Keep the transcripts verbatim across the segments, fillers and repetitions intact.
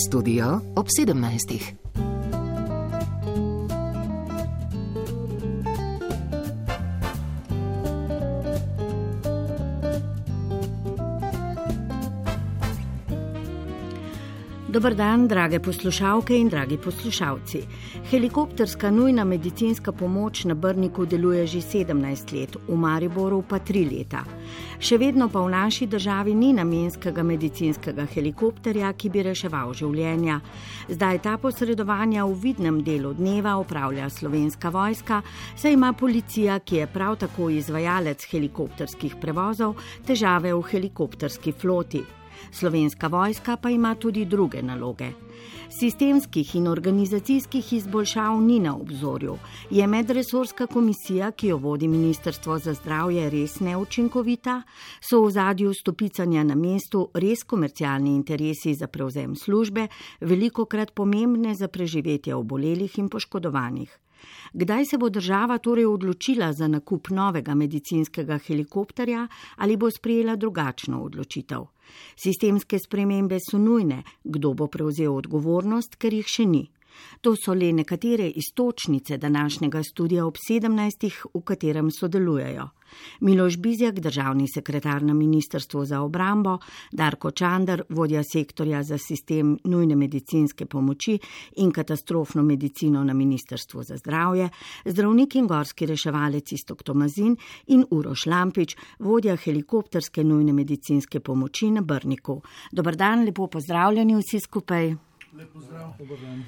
Studio ob sedemnajstih. Dobar dan, drage poslušalke in dragi poslušalci. Helikopterska nujna medicinska pomoč na Brniku deluje že sedemnajst let, v Mariboru pa tri leta. Še vedno pa v naši državi ni namenskega medicinskega helikopterja, ki bi reševal življenja. Zdaj ta posredovanja v vidnem delu dneva opravlja Slovenska vojska, saj ima policija, ki je prav tako izvajalec helikopterskih prevozov, težave v helikopterski floti. Slovenska vojska pa ima tudi druge naloge. Sistemskih in organizacijskih izboljšav ni na obzorju. Je medresorska komisija, ki jo vodi Ministrstvo za zdravje, res neučinkovita? So v ozadju stopicanja na mestu res komercialni interesi za prevzem službe, velikokrat pomembne za preživetje obolelih in poškodovanih? Kdaj se bo država torej odločila za nakup novega medicinskega helikopterja ali bo sprejela drugačno odločitev? Sistemske spremembe so nujne, kdo bo prevzel odgovornost, ker jih še ni. To so le nekatere iztočnice današnjega studia ob sedemnajstih, v katerem sodelujejo. Miloš Bizjak, državni sekretar na Ministrstvu za obrambo, Darko Čander, vodja sektorja za sistem nujne medicinske pomoči in katastrofno medicino na Ministrstvu za zdravje, zdravnik in gorski reševalec Iztok Tomazin in Uroš Lampič, vodja helikopterske nujne medicinske pomoči na Brniku. Dobar dan, lepo pozdravljeni vsi skupaj. Lep pozdrav. Dobar dan.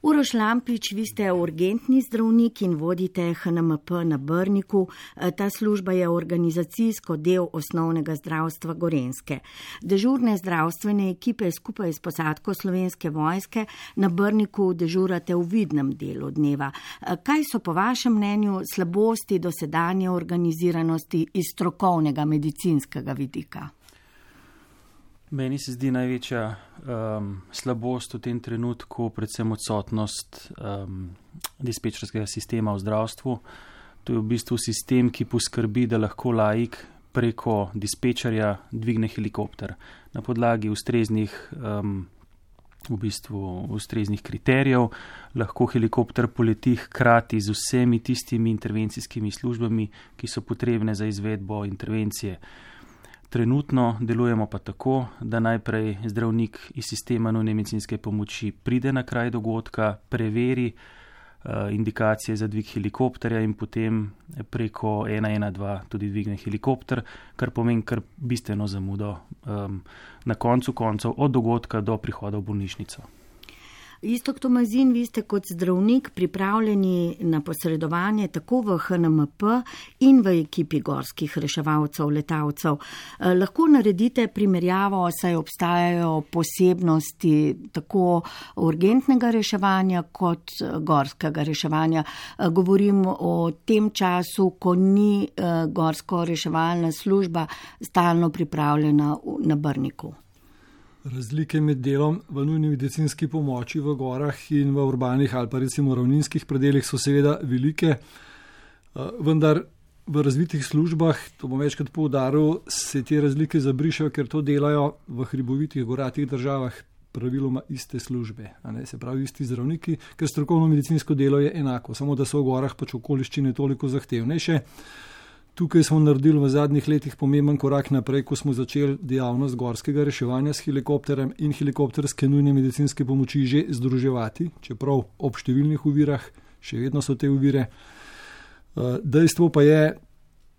Uroš Lampič, vi ste urgentni zdravnik in vodite H N M P na Brniku. Ta služba je organizacijsko del osnovnega zdravstva Gorenjske. Dežurne zdravstvene ekipe skupaj s posadko Slovenske vojske na Brniku dežurate v vidnem delu dneva. Kaj so po vašem mnenju slabosti dosedanje organiziranosti iz strokovnega medicinskega vidika? Meni se zdi največja um, slabost v tem trenutku predvsem odsotnost um, dispečerskega sistema v zdravstvu. To je v bistvu sistem, ki poskrbi, da lahko laik preko dispečerja dvigne helikopter na podlagi ustreznih, um, v bistvu, ustreznih kriterijev. Lahko helikopter poleti hkrati z vsemi tistimi intervencijskimi službami, ki so potrebne za izvedbo intervencije. Trenutno delujemo pa tako, da najprej zdravnik iz sistema nujne medicinske pomoči pride na kraj dogodka, preveri uh, indikacije za dvig helikopterja in potem preko ena ena dva tudi dvigne helikopter, kar pomeni kar bistveno zamudo um, na koncu koncev od dogodka do prihoda v bolnišnico. Iztok Tomazin, vi ste kot zdravnik pripravljeni na posredovanje tako v H N M P in v ekipi gorskih reševalcev, letalcev. Lahko naredite primerjavo, saj obstajajo posebnosti tako urgentnega reševanja kot gorskega reševanja. Govorim o tem času, ko ni gorsko reševalna služba stalno pripravljena na Brniku. Razlike med delom v nujni medicinski pomoči v gorah in v urbanih ali pa recimo ravninskih predelih so seveda velike, vendar v razvitih službah, to bom večkrat poudaril, se te razlike zabrišajo, ker to delajo v hribovitih goratih državah praviloma iste službe, a ne, se pravi isti zdravniki, ker strokovno medicinsko delo je enako, samo da so v gorah pač okoliščine toliko zahtevnejše. Tukaj smo naredili v zadnjih letih pomemben korak naprej, ko smo začeli dejavnost gorskega reševanja s helikopterjem in helikopterske nujne medicinske pomoči že združevati, čeprav ob številnih ovirah, še vedno so te ovire. Dejstvo pa je,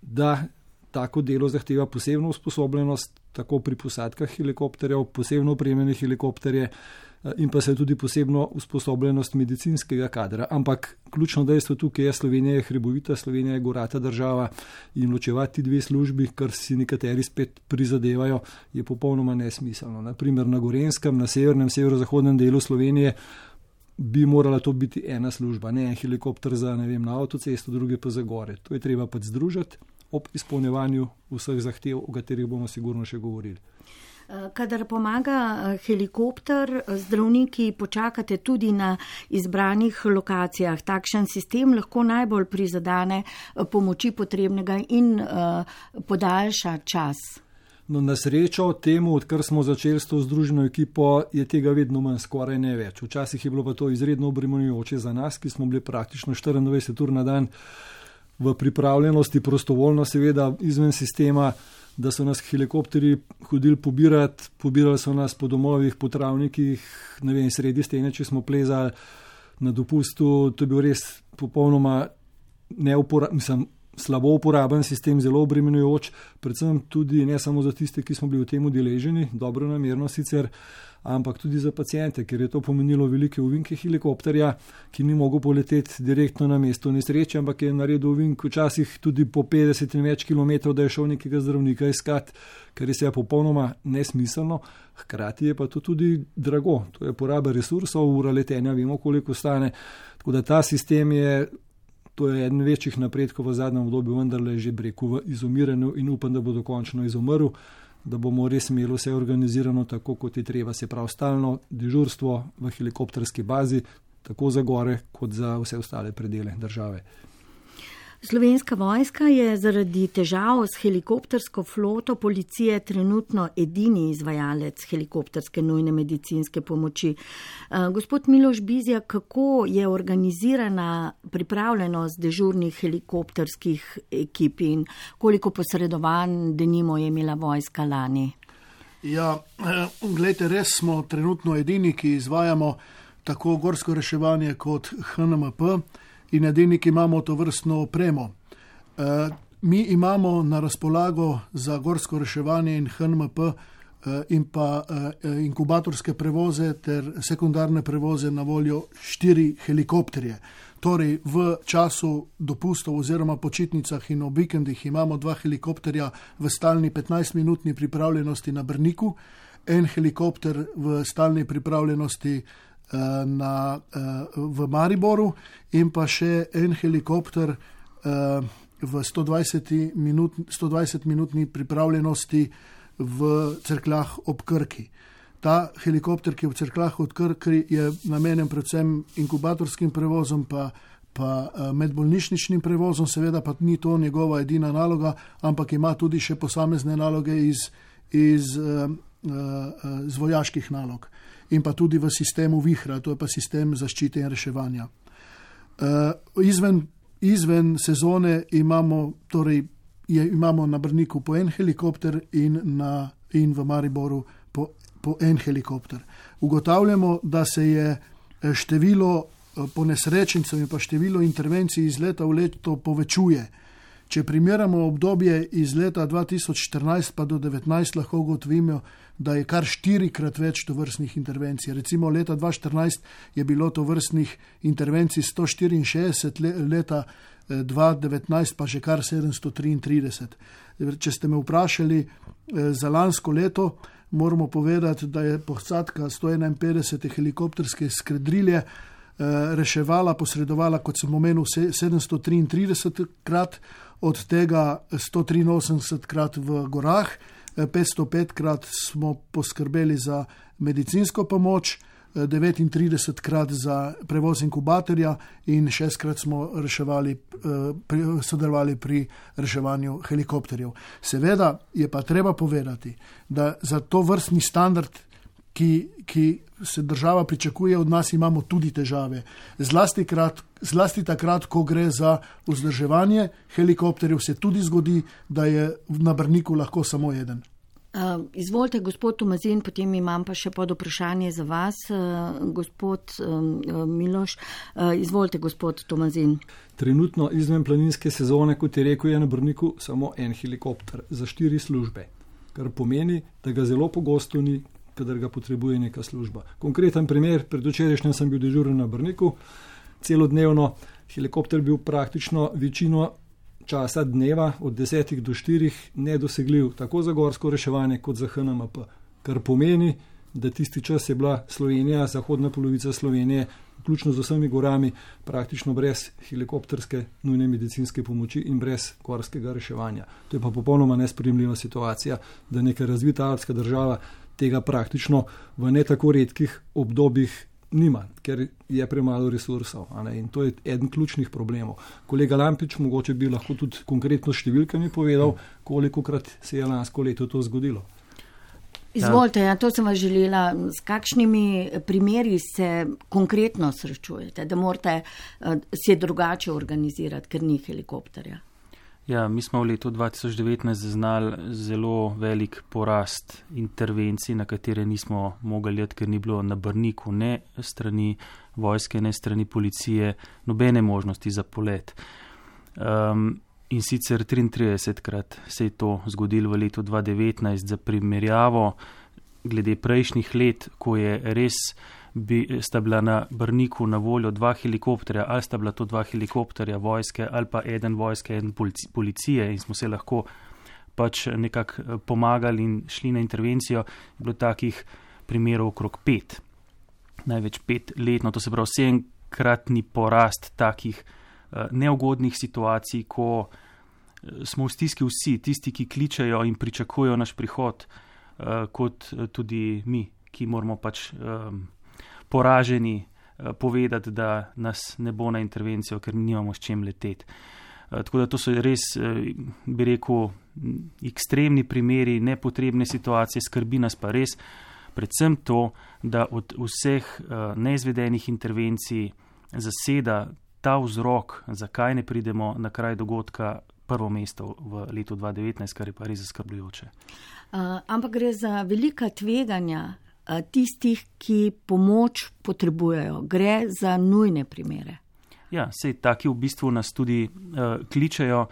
da tako delo zahteva posebno usposobljenost, tako pri posadkah helikopterjev, posebno opremljene helikopterje in pa se tudi posebno usposobljenost medicinskega kadra. Ampak ključno dejstvo tukaj je, Slovenija je hribovita, Slovenija je gorata država in ločevati dve službi, kar si nekateri spet prizadevajo, je popolnoma nesmiselno. Naprimer na Gorenjskem, na severnem, severozahodnem delu Slovenije bi morala to biti ena služba, ne en helikopter za, ne vem, na avtocesto, druge pa za gore. To je treba pač združiti ob izpolnjevanju vseh zahtev, o katerih bomo sigurno še govorili. Kadar pomaga helikopter, zdravniki počakate tudi na izbranih lokacijah. Takšen sistem lahko najbolj prizadene pomoči potrebnega in uh, podaljša čas. No, na srečo temu, odkar smo začeli s to združeno ekipo, je tega vedno manj, skoraj ne več. Včasih je bilo pa to izredno obremenjujoče za nas, ki smo bili praktično štiriindvajset ur na dan v pripravljenosti, prostovoljno seveda izven sistema, da so nas helikopteri hodili pobirati, pobirali so nas po domovih, po travnikih, ne vem, sredi stene, če smo plezali na dopustu. To je bil res popolnoma neuporaben, mislim, slabo uporaben sistem, zelo obremenjujoč, predvsem tudi ne samo za tiste, ki smo bili v tem udeleženi, dobro namerno sicer, ampak tudi za paciente, ker je to pomenilo velike ovinke helikopterja, ki ni mogel poleteti direktno na mesto nesreče, ampak je naredil ovink včasih tudi po petdeset in več kilometrov, da je šel nekega zdravnika iskat, kar je seveda popolnoma nesmiselno, hkrati je pa to tudi drago, to je poraba resursov, ura letenja, vemo koliko stane, tako da ta sistem je, to je eden večjih napredkov v zadnjem obdobju, vendarle že breku v izumiranju in upam, da bo dokončno izumrl, da bomo res imeli vse organizirano tako, kot je treba, se pravi stalno dežurstvo v helikopterski bazi, tako za gore, kot za vse ostale predele države. Slovenska vojska je zaradi težav s helikoptersko floto policije trenutno edini izvajalec helikopterske nujne medicinske pomoči. Gospod Miloš Bizjak, kako je organizirana pripravljenost dežurnih helikopterskih ekip in koliko posredovanj denimo je imela vojska lani? Ja, gledajte, res smo trenutno edini, ki izvajamo tako gorsko reševanje kot H N M P, in edini, ki imamo to vrstno opremo. E, mi imamo na razpolago za gorsko reševanje in H N M P e, in pa e, inkubatorske prevoze ter sekundarne prevoze na voljo štiri helikopterje. Torej v času dopustov oziroma počitnicah in ob vikendih imamo dva helikopterja v stalni petnajstminutni pripravljenosti na Brniku, en helikopter v stalni pripravljenosti Na, v Mariboru in pa še en helikopter v sto dvajset minutni pripravljenosti v Cerkljah ob Krki. Ta helikopter, ki je v Cerkljah ob Krki, je namenjen predvsem inkubatorskim prevozom pa, pa medbolnišničnim prevozom, seveda pa ni to njegova edina naloga, ampak ima tudi še posamezne naloge iz, iz, iz vojaških nalog. In pa tudi v sistemu Vihra, to je pa sistem zaščite in reševanja. Uh, izven, izven sezone imamo, torej, je, imamo na Brniku po en helikopter in, na, in v Mariboru po, po en helikopter. Ugotavljamo, da se je število ponesrečencev in pa število intervencij iz leta v leto povečuje. Če primerjamo obdobje iz leta dva tisoč štirinajst pa do devetnajst, lahko ugotovimo, da je kar štirikrat več tovrstnih intervencij. Recimo leta dva tisoč štirinajst je bilo tovrstnih intervencij sto štiriinšestdeset, leta dva tisoč devetnajst pa že kar sedemsto triintrideset. Če ste me vprašali za lansko leto, moramo povedati, da je posadka sto enainpetdeset helikopterske skredrilje reševala, posredovala, kot sem omenil, sedemsto triintrideset krat, od tega sto triinosemdeset krat v gorah, petsto pet krat smo poskrbeli za medicinsko pomoč, devetintrideset krat za prevoz inkubatorja in šestkrat smo reševali, sodelovali pri reševanju helikopterjev. Seveda je pa treba povedati, da za to vrstni standard, ki, ki se država pričakuje od nas, imamo tudi težave. Zlasti, krat, zlasti takrat, ko gre za vzdrževanje helikopterjev, se tudi zgodi, da je na Brniku lahko samo eden. Uh, izvolite, gospod Tomazin, potem imam pa še pod vprašanje za vas, uh, gospod um, Miloš. Uh, izvolite, gospod Tomazin. Trenutno izven planinske sezone, kot je rekel, je na Brniku samo en helikopter za štiri službe, kar pomeni, da ga zelo pogosto ni, kadar ga potrebuje neka služba. Konkreten primer, predvčerajšnjem sem bil dežuren na Brniku, celodnevno helikopter bil praktično večino časa dneva od desetih do štirih nedosegljiv, tako za gorsko reševanje kot za H N M P, kar pomeni, da tisti čas je bila Slovenija, zahodna polovica Slovenije, vključno z vsemi gorami, praktično brez helikopterske nujne medicinske pomoči in brez gorskega reševanja. To je pa popolnoma nesprejemljiva situacija, da neka razvita alpska država tega praktično v ne tako redkih obdobjih nima, ker je premalo resursov. In to je eden ključnih problemov. Kolega Lampič, mogoče bi lahko tudi konkretno številkami povedal, kolikokrat se je lansko leto to zgodilo. Izvolite, ja, to sem vas želela. S kakšnimi primeri se konkretno srečujete, da morate uh, se drugače organizirati, ker ni helikopterja? Ja, mi smo v letu dva tisoč devetnajst zaznali zelo velik porast intervencij, na katere nismo mogli jeti, ker ni bilo na Brniku ne strani vojske, ne strani policije, nobene možnosti za polet. Um, in sicer triintridesetkrat se je to zgodilo v letu dva tisoč devetnajst, za primerjavo glede prejšnjih let, ko je res bi, sta bila na Brniku na voljo dva helikopterja, ali sta bila to dva helikopterja vojske, ali pa eden vojske, eden policije in smo se lahko pač nekako pomagali in šli na intervencijo, je bilo takih primerov okrog pet. Največ pet letno, to se pravi sedemkratni porast takih uh, neugodnih situacij, ko uh, smo v stiski vsi, tisti, ki kličejo in pričakujejo naš prihod, uh, kot uh, tudi mi, ki moramo pač um, poraženi povedati, da nas ne bo na intervencijo, ker nimamo s čem leteti. Tako da to so res, bi rekel, ekstremni primeri, nepotrebne situacije, skrbi nas pa res predvsem to, da od vseh neizvedenih intervencij zaseda ta vzrok, zakaj ne pridemo na kraj dogodka, prvo mesto v letu dva tisoč devetnajst, kar je pa res zaskrbljujoče. Uh, ampak gre za velika tveganja tistih, ki pomoč potrebujejo. Gre za nujne primere. Ja, sej taki v bistvu nas tudi uh, kličejo uh,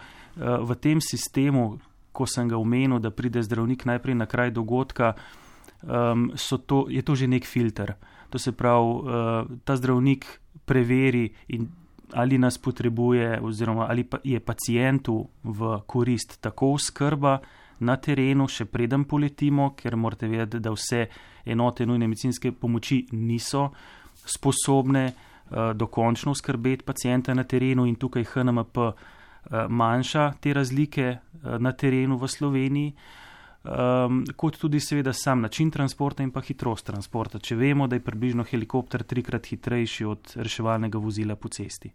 v tem sistemu, ko sem ga omenil, da pride zdravnik najprej na kraj dogodka, um, so to, je to že nek filter. To se pravi, uh, ta zdravnik preveri, in, ali nas potrebuje oziroma ali pa je pacientu v korist tako oskrba na terenu, še preden poletimo, ker morate vedeti, da vse enote nujne medicinske pomoči niso sposobne uh, dokončno skrbeti pacienta na terenu in tukaj H N M P uh, manjša te razlike uh, na terenu v Sloveniji, um, kot tudi seveda sam način transporta in pa hitrost transporta, če vemo, da je približno helikopter trikrat hitrejši od reševalnega vozila po cesti.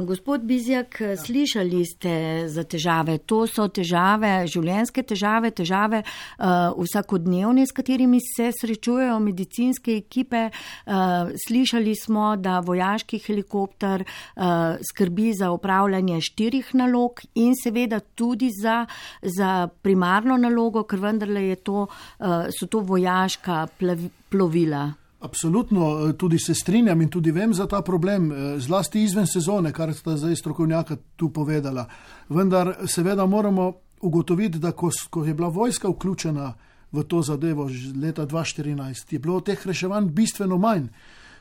Gospod Bizjak, slišali ste za težave. To so težave, življenjske težave, težave uh, vsakodnevne, s katerimi se srečujejo medicinske ekipe. Uh, slišali smo, da vojaški helikopter uh, skrbi za upravljanje štirih nalog in seveda tudi za, za primarno nalogo, ker vendarle je to, uh, so to vojaška plav, plovila. Absolutno, tudi se strinjam in tudi vem za ta problem, zlasti izven sezone, kar sta zdaj strokovnjaka tu povedala. Vendar seveda moramo ugotoviti, da ko, ko je bila vojska vključena v to zadevo leta dva tisoč štirinajst, je bilo teh reševanj bistveno manj.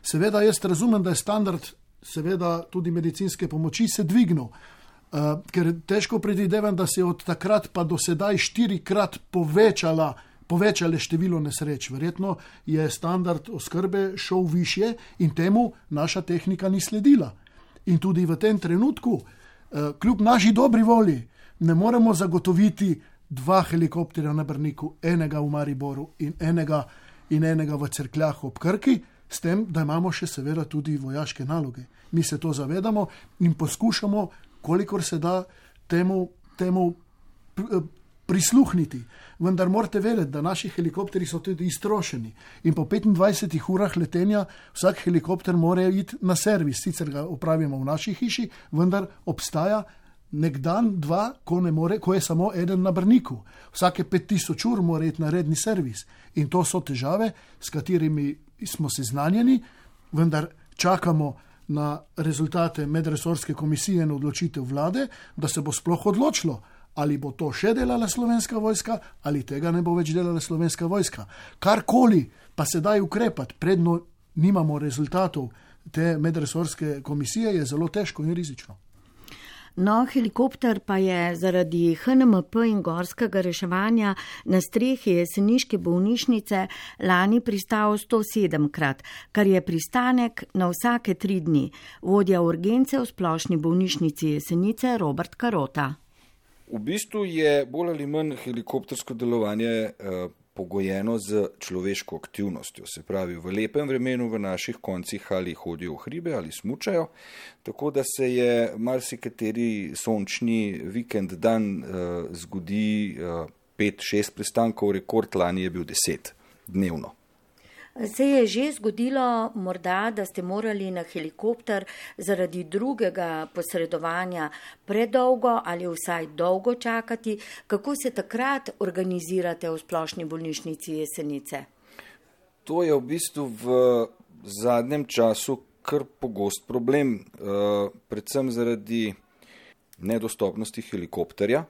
Seveda jaz razumem, da je standard seveda tudi medicinske pomoči se dvignil, uh, ker težko predvidevam, da se je od takrat pa do sedaj štirikrat povečala povečale število nesreč. Verjetno je standard oskrbe šel višje in temu naša tehnika ni sledila. In tudi v tem trenutku, kljub naši dobri volji, ne moremo zagotoviti dva helikopterja na Brniku, enega v Mariboru in enega, in enega v Cerkljah ob Krki, s tem, da imamo še seveda tudi vojaške naloge. Mi se to zavedamo in poskušamo, kolikor se da, temu, temu prisluhniti. Vendar morate vedeti, da naši helikopteri so tudi iztrošeni in po petindvajsetih urah letenja vsak helikopter mora iti na servis. Sicer ga opravimo v naši hiši, vendar obstaja nek dan, dva, ko, ne more, ko je samo eden na Brniku. Vsake pet tisoč ur mora iti na redni servis. In to so težave, s katerimi smo seznanjeni, vendar čakamo na rezultate medresorske komisije in odločitev vlade, da se bo sploh odločilo, ali bo to še delala Slovenska vojska, ali tega ne bo več delala Slovenska vojska. Karkoli pa se da ukrepati, predno nimamo rezultatov te medresorske komisije, je zelo težko in rizično. No, helikopter pa je zaradi H N M P in gorskega reševanja na strehi jeseniške bolnišnice lani pristal sto sedemkrat, kar je pristanek na vsake tri dni. Vodja urgence v splošni bolnišnici Jesenice Robert Karota. V bistvu je bolj ali manj helikoptersko delovanje eh, pogojeno z človeško aktivnostjo. Se pravi, v lepem vremenu v naših koncih ali hodijo v hribe ali smučajo, tako da se je marsikateri sončni vikend dan uh, zgodi uh, pet, šest pristankov, rekord lani je bil deset dnevno. Se je že zgodilo morda, da ste morali na helikopter zaradi drugega posredovanja predolgo ali vsaj dolgo čakati? Kako se takrat organizirate v Splošni bolnišnici Jesenice? To je v bistvu v zadnjem času kar pogost problem, predvsem zaradi nedostopnosti helikopterja.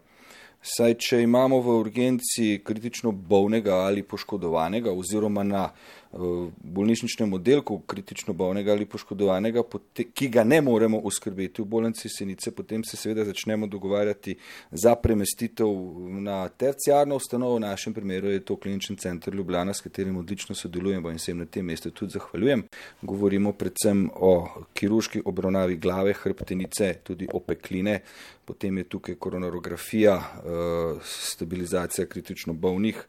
Saj, če imamo v urgenci kritično bolnega ali poškodovanega oziroma na uh, bolnišničnem oddelku kritično bolnega ali poškodovanega, ki ga ne moremo oskrbeti v bolnici Jesenice, potem se seveda začnemo dogovarjati za premestitev na terciarno ustanovo. V našem primeru je to Klinični center Ljubljana, s katerim odlično sodelujemo in se jim na tem mestu tudi zahvaljujem. Govorimo predvsem o kirurški obravnavi glave, hrbtenice, tudi opekline, potem je tukaj koronarografija, stabilizacija kritično bolnih.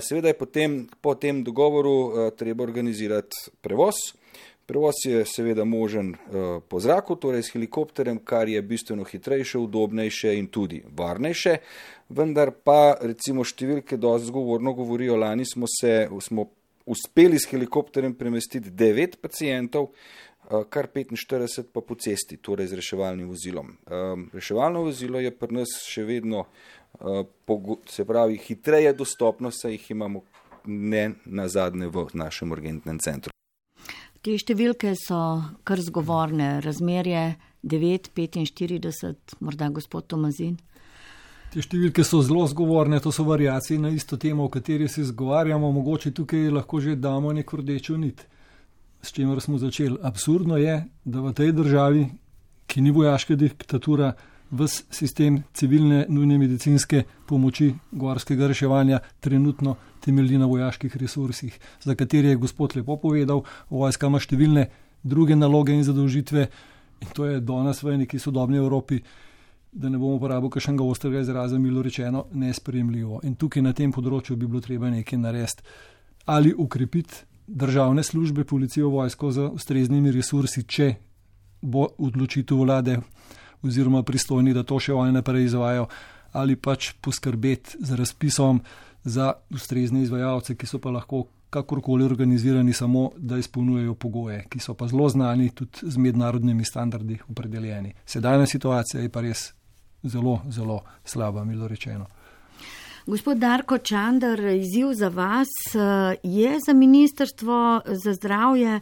Seveda je potem po tem dogovoru treba organizirati prevoz. Prevoz je seveda možen po zraku, torej s helikopterjem, kar je bistveno hitrejše, udobnejše in tudi varnejše. Vendar pa recimo številke dosti zgovorno govorijo, lani smo se smo uspeli s helikopterjem premestiti devet pacientov, kar petinštirideset pa po cesti, torej z reševalnim vozilom. Reševalno vozilo je pri nas še vedno, se pravi, hitreje dostopno, saj jih imamo ne nazadnje v našem urgentnem centru. Te številke so kar zgovorne, razmerje devet petinštirideset, morda gospod Tomazin. Te številke so zelo zgovorne, to so variacije na isto temo, o kateri se zgovarjamo, mogoče tukaj lahko že damo neko rdečo nit. S čimer smo začeli. Absurdno je, da v tej državi, ki ni vojaška diktatura, ves sistem civilne nujne medicinske pomoči gorskega reševanja trenutno temelji na vojaških resursih, za katere je gospod lepo povedal, vojska ima številne druge naloge in zadolžitve in to je danes v neki sodobni Evropi, da ne bomo uporabili kakšnega ostrega izraza, milo rečeno, nesprejemljivo. In tukaj na tem področju bi bilo treba nekaj narediti ali ukrepiti državne službe, policijo, vojsko z ustreznimi resursi, če bo odločitev vlade oziroma pristojni, da to še oni naprej izvajajo, ali pač poskrbeti z razpisom za ustrezne izvajalce, ki so pa lahko kakorkoli organizirani, samo da izpolnjujejo pogoje, ki so pa zelo znani, tudi z mednarodnimi standardi opredeljeni. Sedajna situacija je pa res zelo, zelo slaba, milo rečeno. Gospod Darko Čander, izziv za vas je za Ministrstvo za zdravje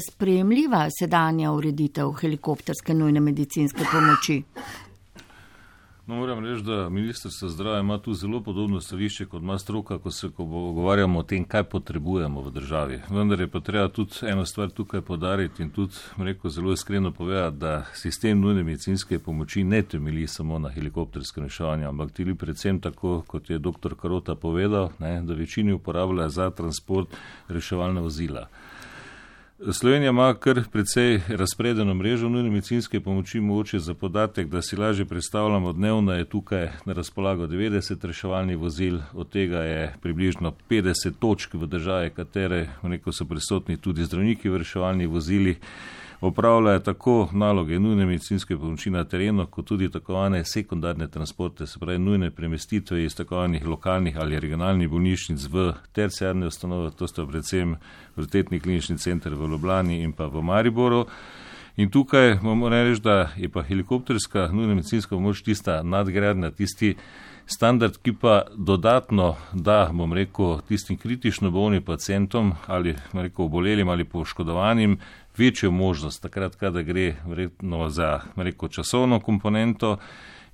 sprejemljiva sedanja ureditev helikopterske nujne medicinske pomoči? No, moram reči, da Ministrstvo za zdravje ima tu zelo podobno stališče kot ima stroka, ko se pogovarjamo o tem, kaj potrebujemo v državi. Vendar je pa treba tudi eno stvar tukaj podariti in tudi, rekel, zelo iskreno povedati, da sistem nujne medicinske pomoči ne temelji samo na helikopterskem reševanju, ampak tudi predvsem tako, kot je doktor Karota povedal, ne, da večini uporablja za transport reševalna vozila. Slovenija ima kar precej razpredeno mrežo nujne medicinske pomoči, mogoče za podatek, da si lažje predstavljamo, dnevno je tukaj na razpolago devetdeset reševalnih vozil, od tega je približno petdeset točk v državi, katere neko so prisotni tudi zdravniki v reševalnih vozilih, opravljajo tako naloge nujne medicinske pomoči na terenu, kot tudi tako vane sekundarne transporte, se pravi nujne premestitve iz tako vanih lokalnih ali regionalnih bolnišnic v terciarne ustanove, to sta predvsem Univerzitetni klinični center v Ljubljani in pa v Mariboru. In tukaj moramo reči, da je pa helikopterska nujna medicinska pomoč tista nadgradnja, tisti standard, ki pa dodatno da, bom rekel, tistim kritično bolnim pacientom ali, bom rekel, obolelim ali poškodovanim večjo možnost, takrat, kada gre verjetno za, bom rekel, časovno komponento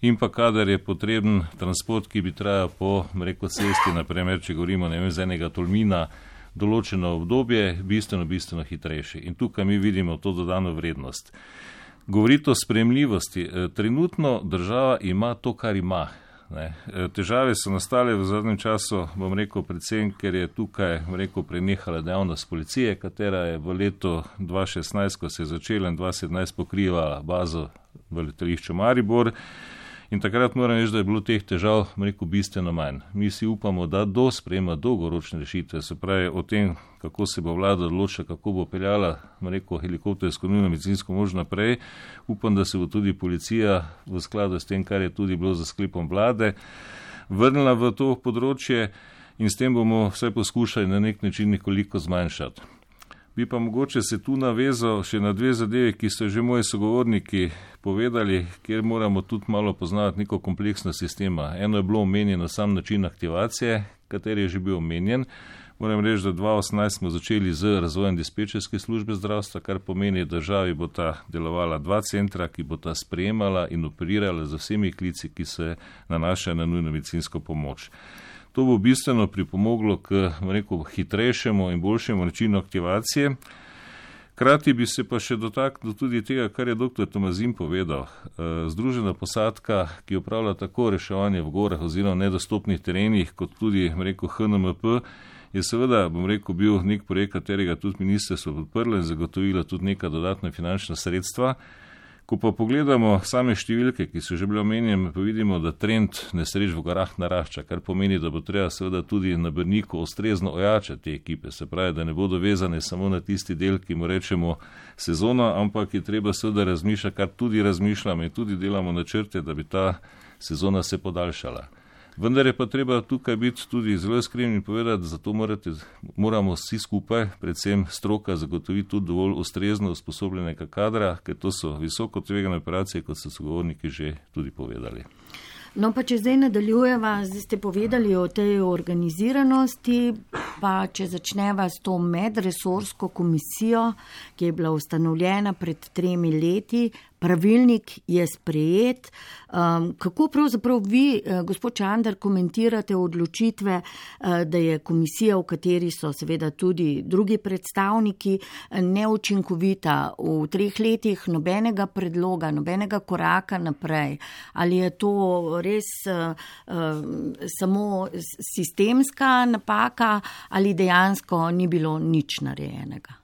in pa kadar je potreben transport, ki bi trajal po, bom rekel, cesti, naprimer, če govorimo, ne vem, z enega Tolmina, določeno obdobje, bistveno, bistveno hitrejši. In tukaj mi vidimo to dodano vrednost. Govoriti o sprejemljivosti. Trenutno država ima to, kar ima. Ne. Težave so nastale v zadnjem času, bom rekel, predvsem, ker je tukaj, bom rekel, prenehala dejavnost policije, katera je v letu dva šestnajst, ko se je začela in dva sedemnajst pokrivala bazo v letališču Maribor. In takrat moram reči, da je bilo teh težav, rekel, bistveno manj. Mi si upamo, da do sprejema dolgoročne rešitve, se pravi o tem, kako se bo vlada odločila, kako bo peljala, rekel, helikoptersko nujno medicinsko pomoč naprej. Upam, da se bo tudi policija v skladu s tem, kar je tudi bilo za sklepom vlade, vrnila v to področje in s tem bomo vse poskušali na nek način nekoliko zmanjšati. Bi pa mogoče se tu navezal še na dve zadeve, ki so že moji sogovorniki povedali, kjer moramo tudi malo poznati neko kompleksno sistema. Eno je bilo omenjeno sam način aktivacije, kateri je že bil omenjen. Moram reči, da dva tisoč osemnajst smo začeli z razvojem dispečerske službe zdravstva, kar pomeni, da državi bo ta delovala dva centra, ki bo ta sprejemala in operirala z vsemi klici, ki se nanašajo na nujno medicinsko pomoč. To bo bistveno pripomoglo k, rekel, hitrejšemu in boljšemu načinu aktivacije. Krati bi se pa še dotaknil tudi tega, kar je doktor Tomazin povedal. Združena posadka, ki upravlja tako reševanje v gorah oziroma nedostopnih terenih, kot tudi, rekel, H N M P, je seveda, bom rekel, bil nek projekt, katerega tudi ministrstvo podprlo in zagotovilo tudi neka dodatna finančna sredstva. Ko pa pogledamo same številke, ki so že bile omenjene, pa vidimo, da trend nesreč v gorah narašča, kar pomeni, da bo treba seveda tudi na Brniku ustrezno ojačati te ekipe, se pravi, da ne bodo vezane samo na tisti del, ki mu rečemo sezona, ampak je treba seveda razmišljati, kar tudi razmišljamo in tudi delamo načrte, da bi ta sezona se podaljšala. Vendar je pa treba tukaj biti tudi zelo iskren in povedati, da zato morate, moramo vsi skupaj, predvsem stroka, zagotoviti tudi dovolj ustrezno usposobljenega kadra, ker to so visoko tvegane operacije, kot so sogovorniki že tudi povedali. No, pa če zdaj nadaljujeva, zdaj ste povedali o tej organiziranosti, pa če začneva s to medresorsko komisijo, ki je bila ustanovljena pred tremi leti, pravilnik je sprejet. Um, kako pravzaprav vi, gospod Čander, komentirate odločitve, da je komisija, v kateri so seveda tudi drugi predstavniki, neučinkovita v treh letih, nobenega predloga, nobenega koraka naprej? Ali je to res uh, samo sistemska napaka ali dejansko ni bilo nič narejenega?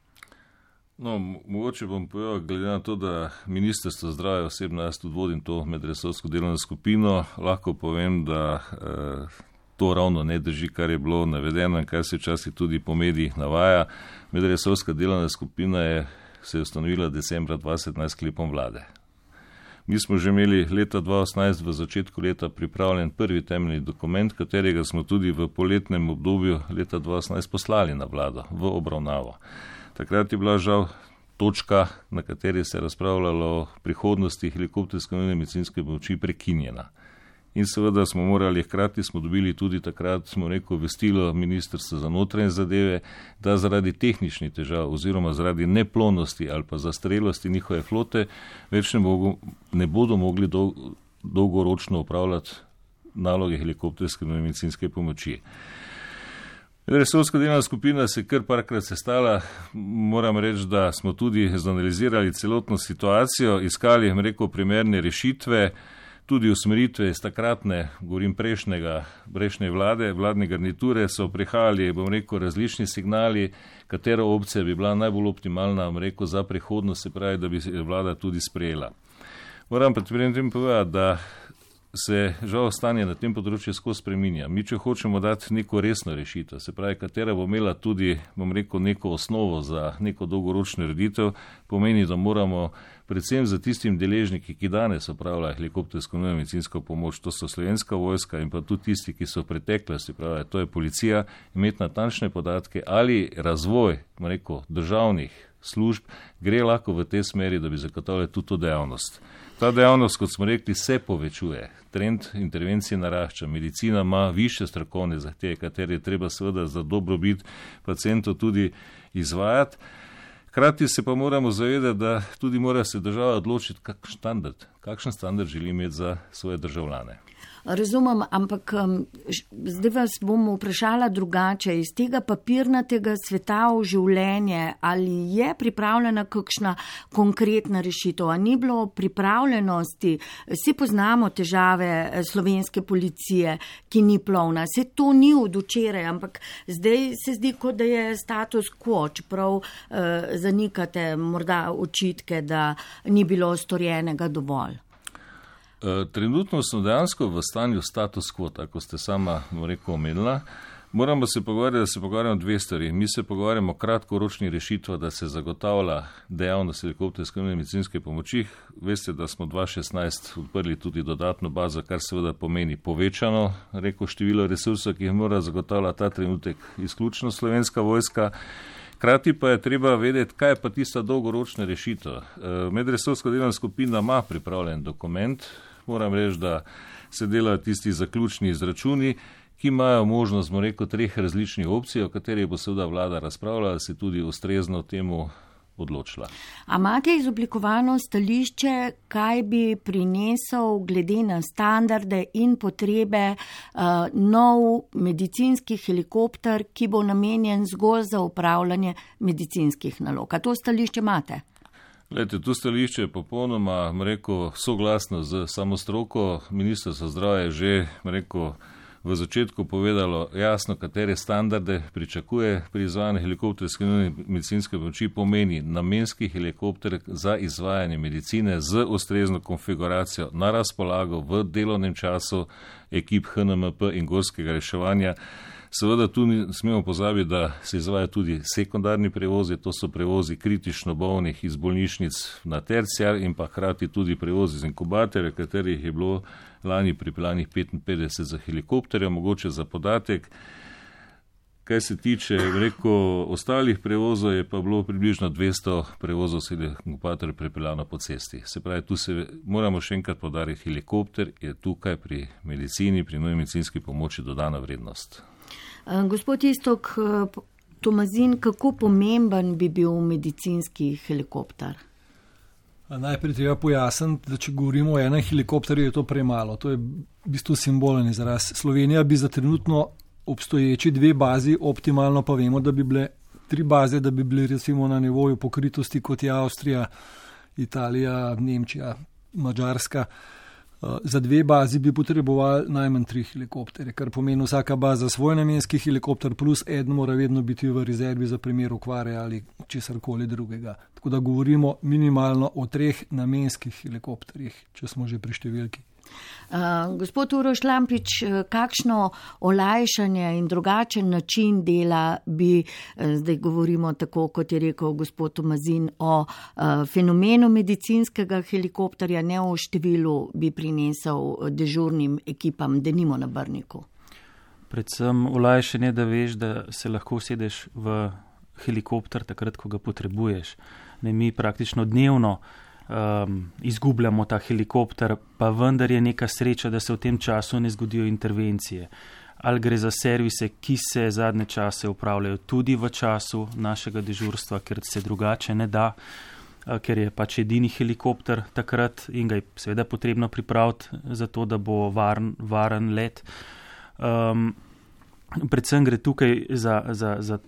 No, mogoče bom povedal, glede na to, da Ministrstvo zdravja osebno, jaz tudi vodim to medresorsko delovno skupino, lahko povem, da eh, to ravno ne drži, kar je bilo navedeno in kar se včasih tudi po medijih navaja. Medresorska delovna skupina je se je ustanovila decembra dva tisoč sedemnajst sklepom vlade. Mi smo že imeli leta dva tisoč osemnajst v začetku leta pripravljen prvi temeljni dokument, katerega smo tudi v poletnem obdobju leta dva tisoč osemnajst poslali na vlado v obravnavo. Takrat je bila žal točka, na kateri se je razpravljalo o prihodnosti helikopterske nujne medicinske pomoči, prekinjena. In seveda smo morali, hkrati smo dobili tudi takrat, smo rekel, obvestilo Ministrstva za notranje zadeve, da zaradi tehničnih težav oziroma zaradi neplonosti ali pa zastrelosti njihove flote več ne, mogo, ne bodo mogli dolg, dolgoročno upravljati naloge helikopterske nujne medicinske pomoči. Resorska delovna skupina se kar parkrat sestala, moram reči, da smo tudi zanalizirali celotno situacijo, iskali, rekel, primerne rešitve, tudi usmeritve iz takratne, govorim prejšnjega, prejšnje vlade, vladne garniture, so prihajali, bom rekel, različni signali, katera opcija bi bila najbolj optimalna, bom rekel, za prihodnost, se pravi, da bi vlada tudi sprejela. Moram pa tem povedati, da se žal stanje na tem področju skozi spreminja. Mi, če hočemo dati neko resno rešitev, se pravi, katera bo imela tudi, bom rekel, neko osnovo za neko dolgoročno ureditev, pomeni, da moramo predvsem za tistim deležniki, ki danes opravljajo helikoptersko nujno medicinsko pomoč, to so Slovenska vojska in pa tudi tisti, ki so v preteklosti, pravi, to je policija, imeti natančne podatke ali razvoj, bom rekel, državnih služb gre lahko v tej smeri, da bi zagotovili tudi to dejavnost. Ta dejavnost, kot smo rekli, se povečuje. Trend intervencije narašča. Medicina ima više strokovne zahteve, katere je treba seveda za dobrobit pacientov tudi izvajati. Hkrati se pa moramo zavedati, da tudi mora se država odločiti, kakšen standard, kakšen standard želi imeti za svoje državljane. Razumem, ampak zdaj vas bom vprašala drugače. Iz tega papirnatega sveta v življenje, ali je pripravljena kakšna konkretna rešitev? A ni bilo pripravljenosti? Vsi poznamo težave slovenske policije, ki ni plovna. Se to ni od včeraj, ampak zdaj se zdi, kot da je status quo, čeprav eh, zanikate morda očitke, da ni bilo storjenega dovolj. Trenutno smo dejansko v stanju status quo, tako ste sama rekel omenila. Moramo se pogovarjati, da se pogovarjamo dve stvari. Mi se pogovarjamo o kratkoročni rešitvi, da se zagotavlja dejavnost helikopterske nujne medicinske pomoči. Veste, da smo dva tisoč šestnajst odprli tudi dodatno bazo, kar seveda pomeni povečano rekel, število resursov, ki jih mora zagotavljati ta trenutek izključno Slovenska vojska. Hkrati pa je treba vedeti, kaj je pa tista dolgoročna rešitev. Medresorska delovna skupina ima pripravljen dokument. Moram reči, da se delajo tisti zaključni izračuni, ki imajo možnost, smo rekel, treh različnih opcij, o katerih bo seveda vlada razpravljala, da se tudi ustrezno temu odločila. A imate izoblikovano stališče, kaj bi prinesel glede na standarde in potrebe uh, nov medicinski helikopter, ki bo namenjen zgolj za upravljanje medicinskih nalog? A to stališče imate? Glejte, to stališče je popolnoma, rekel, soglasno z samo stroko. Ministrstvo za zdravje je že, rekel, v začetku povedalo jasno, katere standarde pričakuje pri izvajanju helikopterske nujne medicinske pomoči, pomeni namenski helikopter za izvajanje medicine z ustrezno konfiguracijo na razpolago v delovnem času ekip H N M P in gorskega reševanja. Seveda tu ne smemo pozabiti, da se izvaja tudi sekundarni prevozi, to so prevozi kritično bolnih iz bolnišnic na terciar in pa hkrati tudi prevozi z inkubatorja, katerih je bilo lani pripeljanih petinpetdeset za helikopterja, mogoče za podatek. Kaj se tiče, rekel, ostalih prevozov, je pa bilo približno dvesto prevozov s inkubatorjem pripeljano po cesti. Se pravi, tu se moramo še enkrat podariti, helikopter je tukaj pri medicini, pri nujni medicinski pomoči dodana vrednost. Gospod Iztok Tomazin, kako pomemben bi bil medicinski helikopter? Najprej treba pojasniti, da če govorimo o enem helikopterju, je to premalo. To je v bistvu simbolen izraz. Slovenija bi za trenutno obstoječi dve bazi, optimalno pa vemo, da bi bile tri baze, da bi bile recimo na nivoju pokritosti kot je Avstrija, Italija, Nemčija, Madžarska. Za dve bazi bi potrebovali najmanj tri helikopterje, kar pomeni vsaka baza svoj namenski helikopter, plus eden mora vedno biti v rezervi za primer okvare ali česarkoli drugega. Tako da govorimo minimalno o treh namenskih helikopterjih, če smo že pri številki. Uh, gospod Uroš Lampič, kakšno olajšanje in drugačen način dela bi, zdaj govorimo tako, kot je rekel gospod Tomazin, o uh, fenomenu medicinskega helikopterja, ne o številu, bi prinesel dežurnim ekipam, denimo na Brniku? Predvsem olajšanje, da veš, da se lahko usedeš v helikopter takrat, ko ga potrebuješ. Ne, mi praktično dnevno Um, izgubljamo ta helikopter, pa vendar je neka sreča, da se v tem času ne zgodijo intervencije. Ali gre za servise, ki se zadnje čase upravljajo tudi v času našega dežurstva, ker se drugače ne da, uh, ker je pač edini helikopter takrat in ga je seveda potrebno pripraviti za to, da bo varen, varen let. Um, predvsem gre tukaj za, za, za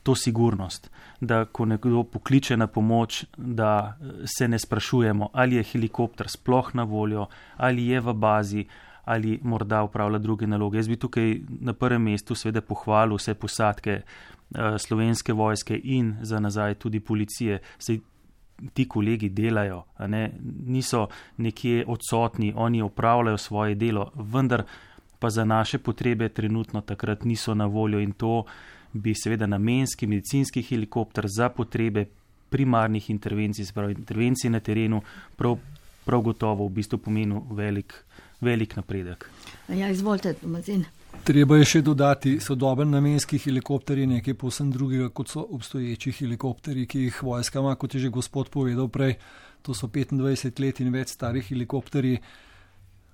to sigurnost, da ko nekdo pokliče na pomoč, da se ne sprašujemo, ali je helikopter sploh na voljo, ali je v bazi, ali morda upravlja druge naloge. Jaz bi tukaj na prvem mestu seveda pohvalil vse posadke uh, slovenske vojske in za nazaj tudi policije. Sej ti kolegi delajo, a ne, niso nekje odsotni, oni upravljajo svoje delo, vendar pa za naše potrebe trenutno takrat niso na voljo in to bi seveda namenski medicinski helikopter za potrebe primarnih intervencij, sprav intervencij na terenu, prav, prav gotovo v bistvu pomenil velik, velik napredek. Ja, izvolite, Tomazin. Treba je še dodati, sodoben namenski helikopter je nekaj povsem drugega, kot so obstoječi helikopteri, ki jih vojska ima, kot je že gospod povedal prej, to so petindvajset let in več starih helikopteri,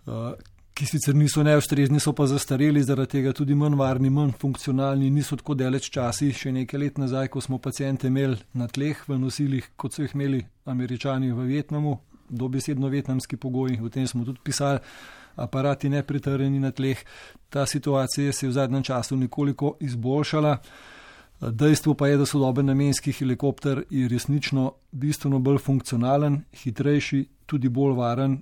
uh, ki sicer niso neustrezni, so pa zastareli, zaradi tega tudi manj varni, manj funkcionalni, niso tako daleč časi, še nekaj let nazaj, ko smo pacijente imeli na tleh v nosilih, kot so jih imeli Američani v Vietnamu, dobesedno vietnamski pogoji, o tem smo tudi pisali, aparati nepritrjeni na tleh. Ta situacija se je v zadnjem času nekoliko izboljšala. Dejstvo pa je, da sodoben namenski helikopter je resnično bistveno bolj funkcionalen, hitrejši, tudi bolj varen,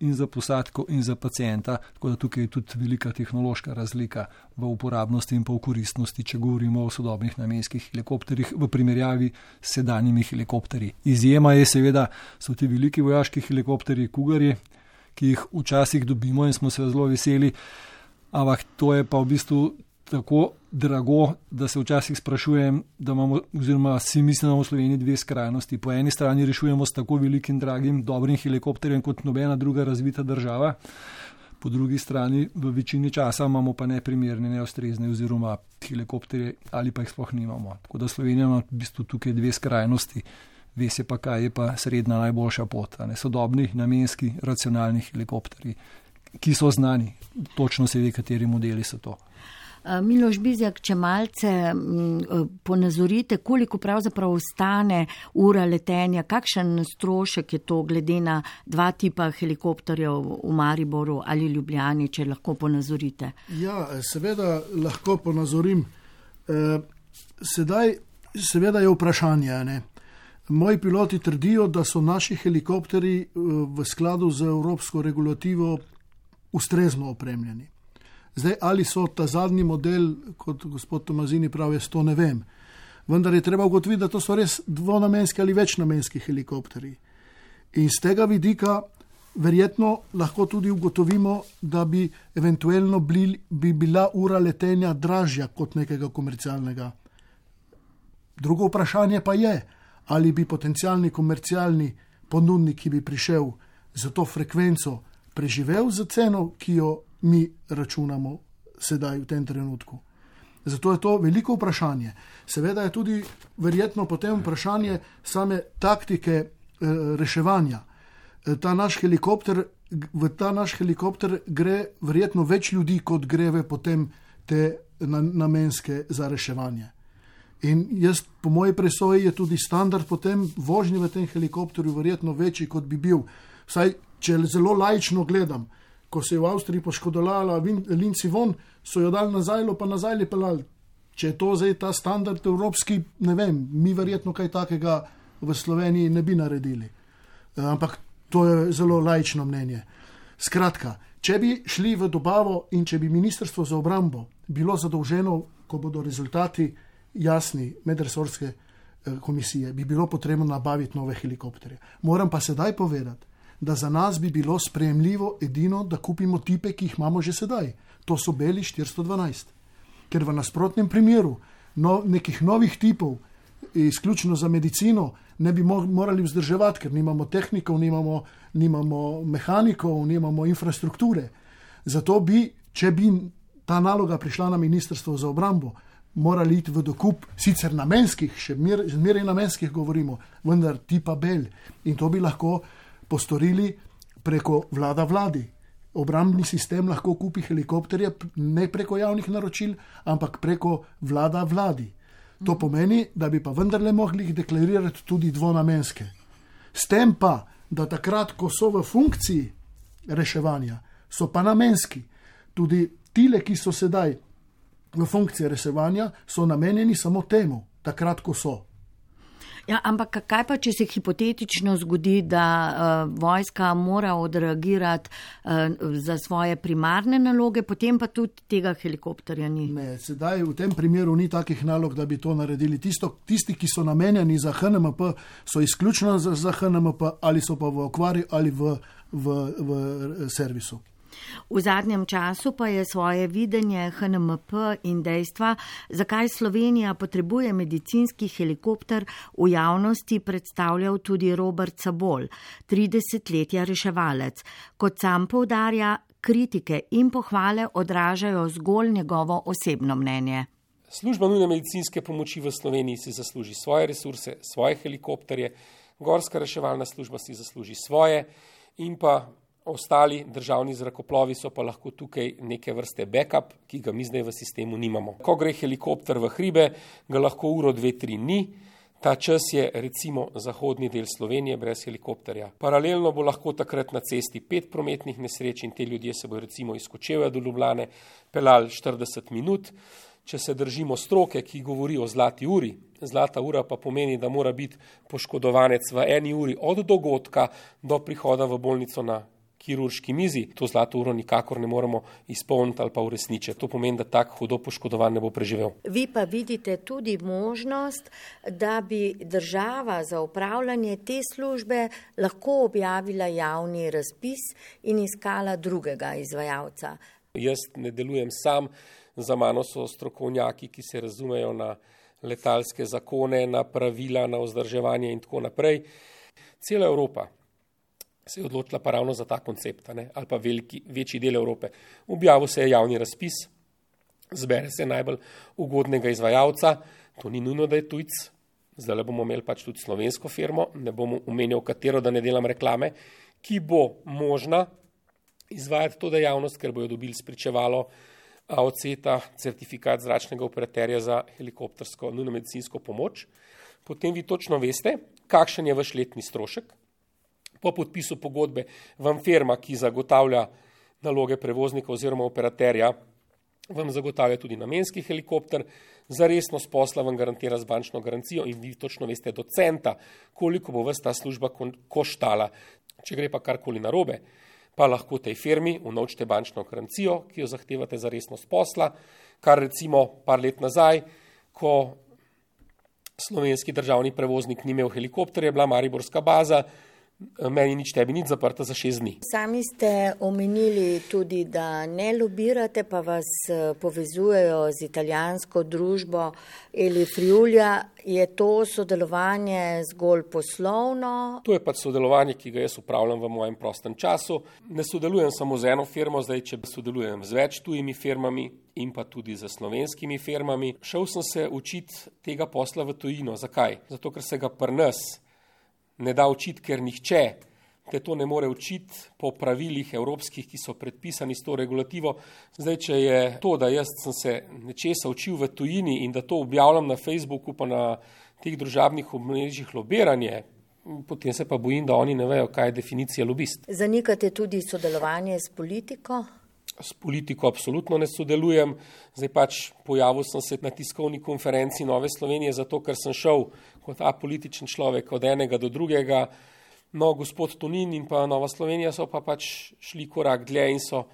in za posadko in za pacijenta, tako da tukaj je tudi velika tehnološka razlika v uporabnosti in pa v koristnosti, če govorimo o sodobnih namenskih helikopterjih v primerjavi s sedanjimi helikopterji. Izjema je seveda, so ti veliki vojaški helikopterji Cougarji, ki jih včasih dobimo in smo se zelo veseli, ampak to je pa v bistvu tako drago, da se včasih sprašujem, da imamo, oziroma si mislim, da imamo v Sloveniji dve skrajnosti. Po eni strani rešujemo s tako velikim, dragim, dobrim helikopterjem kot nobena druga razvita država, po drugi strani v večini časa imamo pa neprimerne, neustrezne oziroma helikopterje ali pa jih sploh nimamo. Tako da Slovenija ima v bistvu tukaj dve skrajnosti. Ve se pa, kaj je pa srednja najboljša pot. Ne? Sodobni, namenski, racionalni helikopterji, ki so znani. Točno se ve, kateri modeli so to. Miloš Bizjak, če malce ponazorite, koliko pravzaprav ostane ura letenja, kakšen strošek je to glede na dva tipa helikopterjev v Mariboru ali Ljubljani, če lahko ponazorite? Ja, seveda lahko ponazorim. Sedaj seveda je vprašanje, ne? Moji piloti trdijo, da so naši helikopteri v skladu z evropsko regulativo ustrezno opremljeni. Zdaj, ali so ta zadnji model, kot gospod Tomazini pravi, to ne vem. Vendar je treba ugotoviti, da to so res dvonamenski ali večnamenski helikopteri. In z tega vidika verjetno lahko tudi ugotovimo, da bi eventualno bi, bi bila ura letenja dražja kot nekega komercialnega. Drugo vprašanje pa je, ali bi potencialni komercialni ponudnik, ki bi prišel za to frekvenco, preživel za ceno, ki jo mi računamo sedaj v tem trenutku. Zato je to veliko vprašanje. Seveda je tudi verjetno potem vprašanje same taktike e, reševanja. E, ta naš helikopter, v ta naš helikopter gre verjetno več ljudi, kot greve potem te na, namenske za reševanje. In jaz, po moji presoji, je tudi standard potem vožnje v tem helikopterju verjetno večji, kot bi bil. Vsaj, če zelo laično gledam, ko se je v Avstriji poškodolala Linci von, so jo dali nazaj, pa nazaj li pelali. Če je to zdaj ta standard evropski, ne vem, mi verjetno kaj takega v Sloveniji ne bi naredili. Ampak to je zelo laično mnenje. Skratka, če bi šli v dobavo in če bi Ministrstvo za obrambo bilo zadolženo, ko bodo rezultati jasni medresorske komisije, bi bilo potrebno nabaviti nove helikopterje. Moram pa sedaj povedati, da za nas bi bilo sprejemljivo edino, da kupimo tipe, ki jih imamo že sedaj. To so beli štiristo dvanajst. Ker v nasprotnem primeru no, nekih novih tipov, izključno za medicino, ne bi morali vzdrževati, ker nimamo tehnikov, nimamo, nimamo mehanikov, nimamo infrastrukture. Zato bi, če bi ta naloga prišla na Ministrstvo za obrambo, morali iti v dokup, sicer namenskih, še zmeraj namenskih govorimo, vendar tipa bel. In to bi lahko postorili preko vlada vladi. Obrambni sistem lahko kupi helikopterje ne preko javnih naročil, ampak preko vlada vladi. To pomeni, da bi pa vendarle mogli jih deklarirati tudi dvonamenske. S tem pa, da takrat, ko so v funkciji reševanja, so pa namenski. Tudi tile, ki so sedaj v funkciji reševanja, so namenjeni samo temu, takrat, ko so. Ja, ampak kaj pa, če se hipotetično zgodi, da uh, vojska mora odreagirati uh, za svoje primarne naloge, potem pa tudi tega helikopterja ni? Ne, sedaj v tem primeru ni takih nalog, da bi to naredili. Tisto, tisti, ki so namenjeni za H N M P, so izključno za, za H N M P ali so pa v okvari ali v, v, v servisu. V zadnjem času pa je svoje videnje H N M P in dejstva, zakaj Slovenija potrebuje medicinski helikopter, v javnosti predstavljal tudi Robert Sabol, tridesetletja reševalec. Kot sam poudarja, kritike in pohvale odražajo zgolj njegovo osebno mnenje. Služba nujne medicinske pomoči v Sloveniji si zasluži svoje resurse, svoje helikopterje, gorska reševalna služba si zasluži svoje in pa ostali državni zrakoplovi so pa lahko tukaj neke vrste backup, ki ga mi zdaj v sistemu nimamo. Ko gre helikopter v hribe, ga lahko uro, dve, tri ni. Ta čas je recimo zahodni del Slovenije brez helikopterja. Paralelno bo lahko takrat na cesti pet prometnih nesreč in te ljudje se bo recimo iz Kočevja do Ljubljane pelali štirideset minut. Če se držimo stroke, ki govori o zlati uri, zlata ura pa pomeni, da mora biti poškodovanec v eni uri od dogodka do prihoda v bolnico na kirurški mizi, to zlato uro nikakor ne moremo izpolniti ali pa uresničiti. To pomeni, da tak hudo poškodovan ne bo preživel. Vi pa vidite tudi možnost, da bi država za upravljanje te službe lahko objavila javni razpis in iskala drugega izvajalca. Jaz ne delujem sam, za mano so strokovnjaki, ki se razumejo na letalske zakone, na pravila, na vzdrževanje in tako naprej. Cela Evropa se je odločila pa ravno za ta koncept, ne? Ali pa veliki, večji del Evrope. Objavil se je javni razpis, zbere se najbolj ugodnega izvajalca, to ni nujno, da je tujc, zdaj bomo imeli pač tudi slovensko firmo, ne bomo omenjal katero, da ne delam reklame, ki bo možna izvajati to dejavnost, ker bojo dobili spričevalo A O C ta, certifikat zračnega operaterja za helikoptersko nujno medicinsko pomoč. Potem vi točno veste, kakšen je vaš letni strošek. Po podpisu pogodbe vam firma, ki zagotavlja naloge prevoznika oziroma operaterja, vam zagotavlja tudi namenski helikopter, za resnost posla vam garantira z bančno garancijo in vi točno veste do centa, koliko bo vas ta služba koštala. Če gre pa karkoli narobe, pa lahko tej firmi unovčite bančno garancijo, ki jo zahtevate za resnost posla, kar recimo par let nazaj, ko slovenski državni prevoznik ni imel helikopterja, je bila mariborska baza, meni nič tebi nič zaprta za šest dni. Sami ste omenili tudi, da ne lobirate, pa vas povezujejo z italijansko družbo Eli Friulja. Je to sodelovanje zgolj poslovno? To je pač sodelovanje, ki ga jaz upravljam v mojem prostem času. Ne sodelujem samo z eno firmo, zdaj če sodelujem z več tujimi firmami in pa tudi z slovenskimi firmami. Šel sem se učiti tega posla v tujino. Zakaj? Zato, ker se ga pri nas ne da učiti, ker nihče te to ne more učiti po pravilih evropskih, ki so predpisani s to regulativo. Zdaj, če je to, da jaz sem se nečesa učil v tujini in da to objavljam na Facebooku pa na teh družabnih omrežjih lobiranje, potem se pa bojim, da oni ne vejo, kaj je definicija lobist. Zanikate tudi sodelovanje s politiko? S politiko absolutno ne sodelujem. Zdaj pač pojavil sem se na tiskovni konferenci Nove Slovenije, zato ker sem šel kot apolitičen človek od enega do drugega. No, gospod Tonin in pa Nova Slovenija so pa pač šli korak dlje in so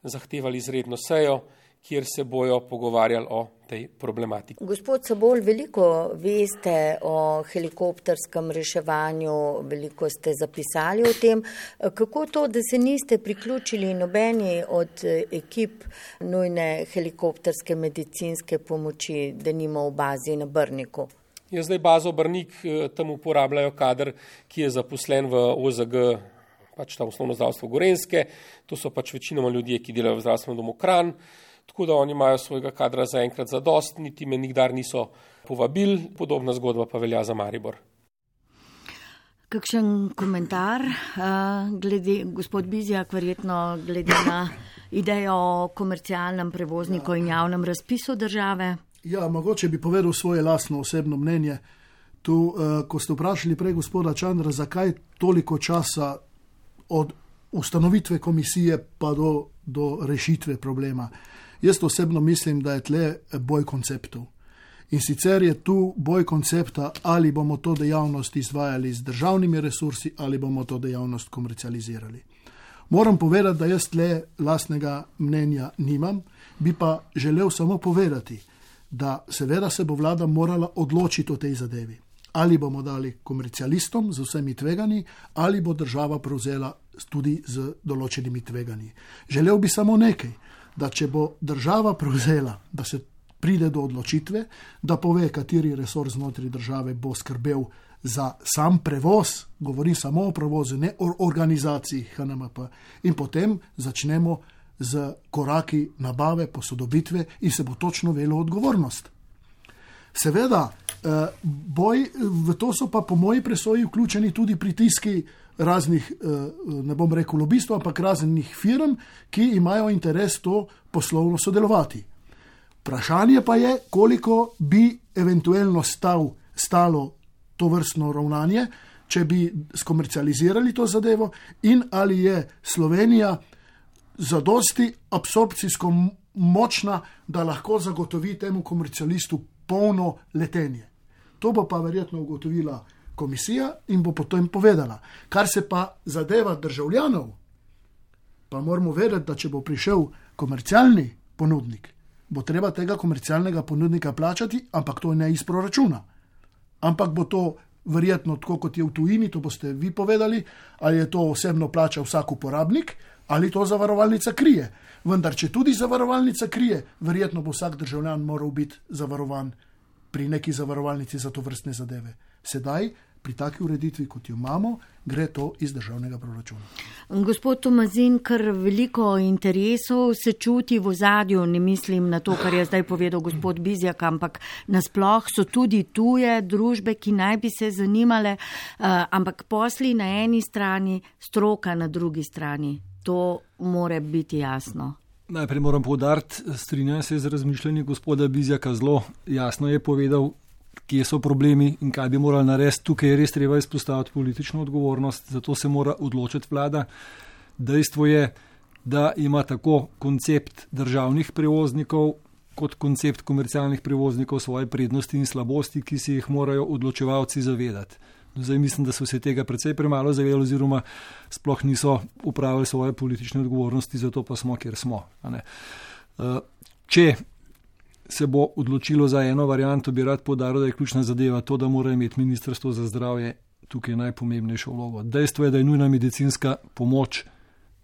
zahtevali izredno sejo, kjer se bojo pogovarjali o tej problematiki. Gospod Sabol, veliko veste o helikopterskem reševanju, veliko ste zapisali o tem. Kako to, da se niste priključili nobeni od ekip nujne helikopterske medicinske pomoči, denimo v bazi na Brniku? Je zdaj bazo Brnik, tam uporabljajo kader, ki je zaposlen v O Z G, pač tam osnovno zdravstvo Gorenjske. To so pač večinoma ljudje, ki delajo v zdravstvenem domu Kranj. Tako da oni imajo svojega kadra zaenkrat zadost, niti me nikdar niso povabili, podobna zgodba pa velja za Maribor. Kakšen komentar, uh, glede, gospod Bizjak, verjetno glede na idejo o komercialnem prevozniku in javnem razpisu države? Ja, mogoče bi povedal svoje lastno osebno mnenje. Tu, uh, ko ste vprašali prej gospoda Čandra, zakaj toliko časa od ustanovitve komisije pa do, do rešitve problema. Jaz osebno mislim, da je tle boj konceptov. In sicer je tu boj koncepta, ali bomo to dejavnost izvajali z državnimi resursi, ali bomo to dejavnost komercializirali. Moram povedati, da jaz tle lastnega mnenja nimam, bi pa želel samo povedati, da seveda se bo vlada morala odločiti o tej zadevi. Ali bomo dali komercialistom z vsemi tveganji, ali bo država prevzela tudi z določenimi tveganji. Želel bi samo nekaj, da če bo država prevzela, da se pride do odločitve, da pove, kateri resor znotraj države bo skrbel za sam prevoz, govorim samo o prevozu, ne o organizaciji H N M P, in potem začnemo z koraki nabave, posodobitve in se bo točno velo odgovornost. Seveda, boj, v to so pa po moji presoji vključeni tudi pritiski raznih, ne bom rekel lobistov, ampak raznih firm, ki imajo interes to poslovno sodelovati. Vprašanje pa je, koliko bi eventualno stal, stalo to vrstno ravnanje, če bi skomercializirali to zadevo in ali je Slovenija zadosti absorpcijsko močna, da lahko zagotovi temu komercialistu polno letenje. To bo pa verjetno ugotovila komisija in bo potem povedala. Kar se pa zadeva državljanov, Pa moramo vedeti, da če bo prišel komercialni ponudnik, bo treba tega komercialnega ponudnika plačati, ampak to ne iz proračuna. Ampak bo to verjetno tako, kot je v tujini, to boste vi povedali, ali je to osebno plača vsak uporabnik, ali to zavarovalnica krije. Vendar, če tudi zavarovalnica krije, verjetno bo vsak državljan moral biti zavarovan pri neki zavarovalnici za to vrstne zadeve. Sedaj, pri taki ureditvi, kot jo imamo, gre to iz državnega proračuna. Gospod Tomazin, kar veliko interesov se čuti v ozadju, ne mislim na to, kar je zdaj povedal gospod Bizjak, ampak nasploh so tudi tuje družbe, ki naj bi se zanimale, ampak posli na eni strani, stroka na drugi strani. To mora biti jasno. Najprej moram poudariti, strinjam se z razmišljanjem gospoda Bizjaka, zelo jasno je povedal, kje so problemi in kaj bi morali narediti. Tukaj je res treba izpostaviti politično odgovornost, zato se mora odločiti vlada. Dejstvo je, da ima tako koncept državnih prevoznikov kot koncept komercialnih prevoznikov svoje prednosti in slabosti, ki si jih morajo odločevalci zavedati. Zdaj mislim, da so se tega precej premalo zavedali oziroma sploh niso upravili svoje politične odgovornosti, zato pa smo, kjer smo. Če se bo odločilo za eno varianto, bi rad poudaril, da je ključna zadeva to, da mora imeti Ministrstvo za zdravje tukaj najpomembnejšo vlogo. Dejstvo je, da je nujna medicinska pomoč,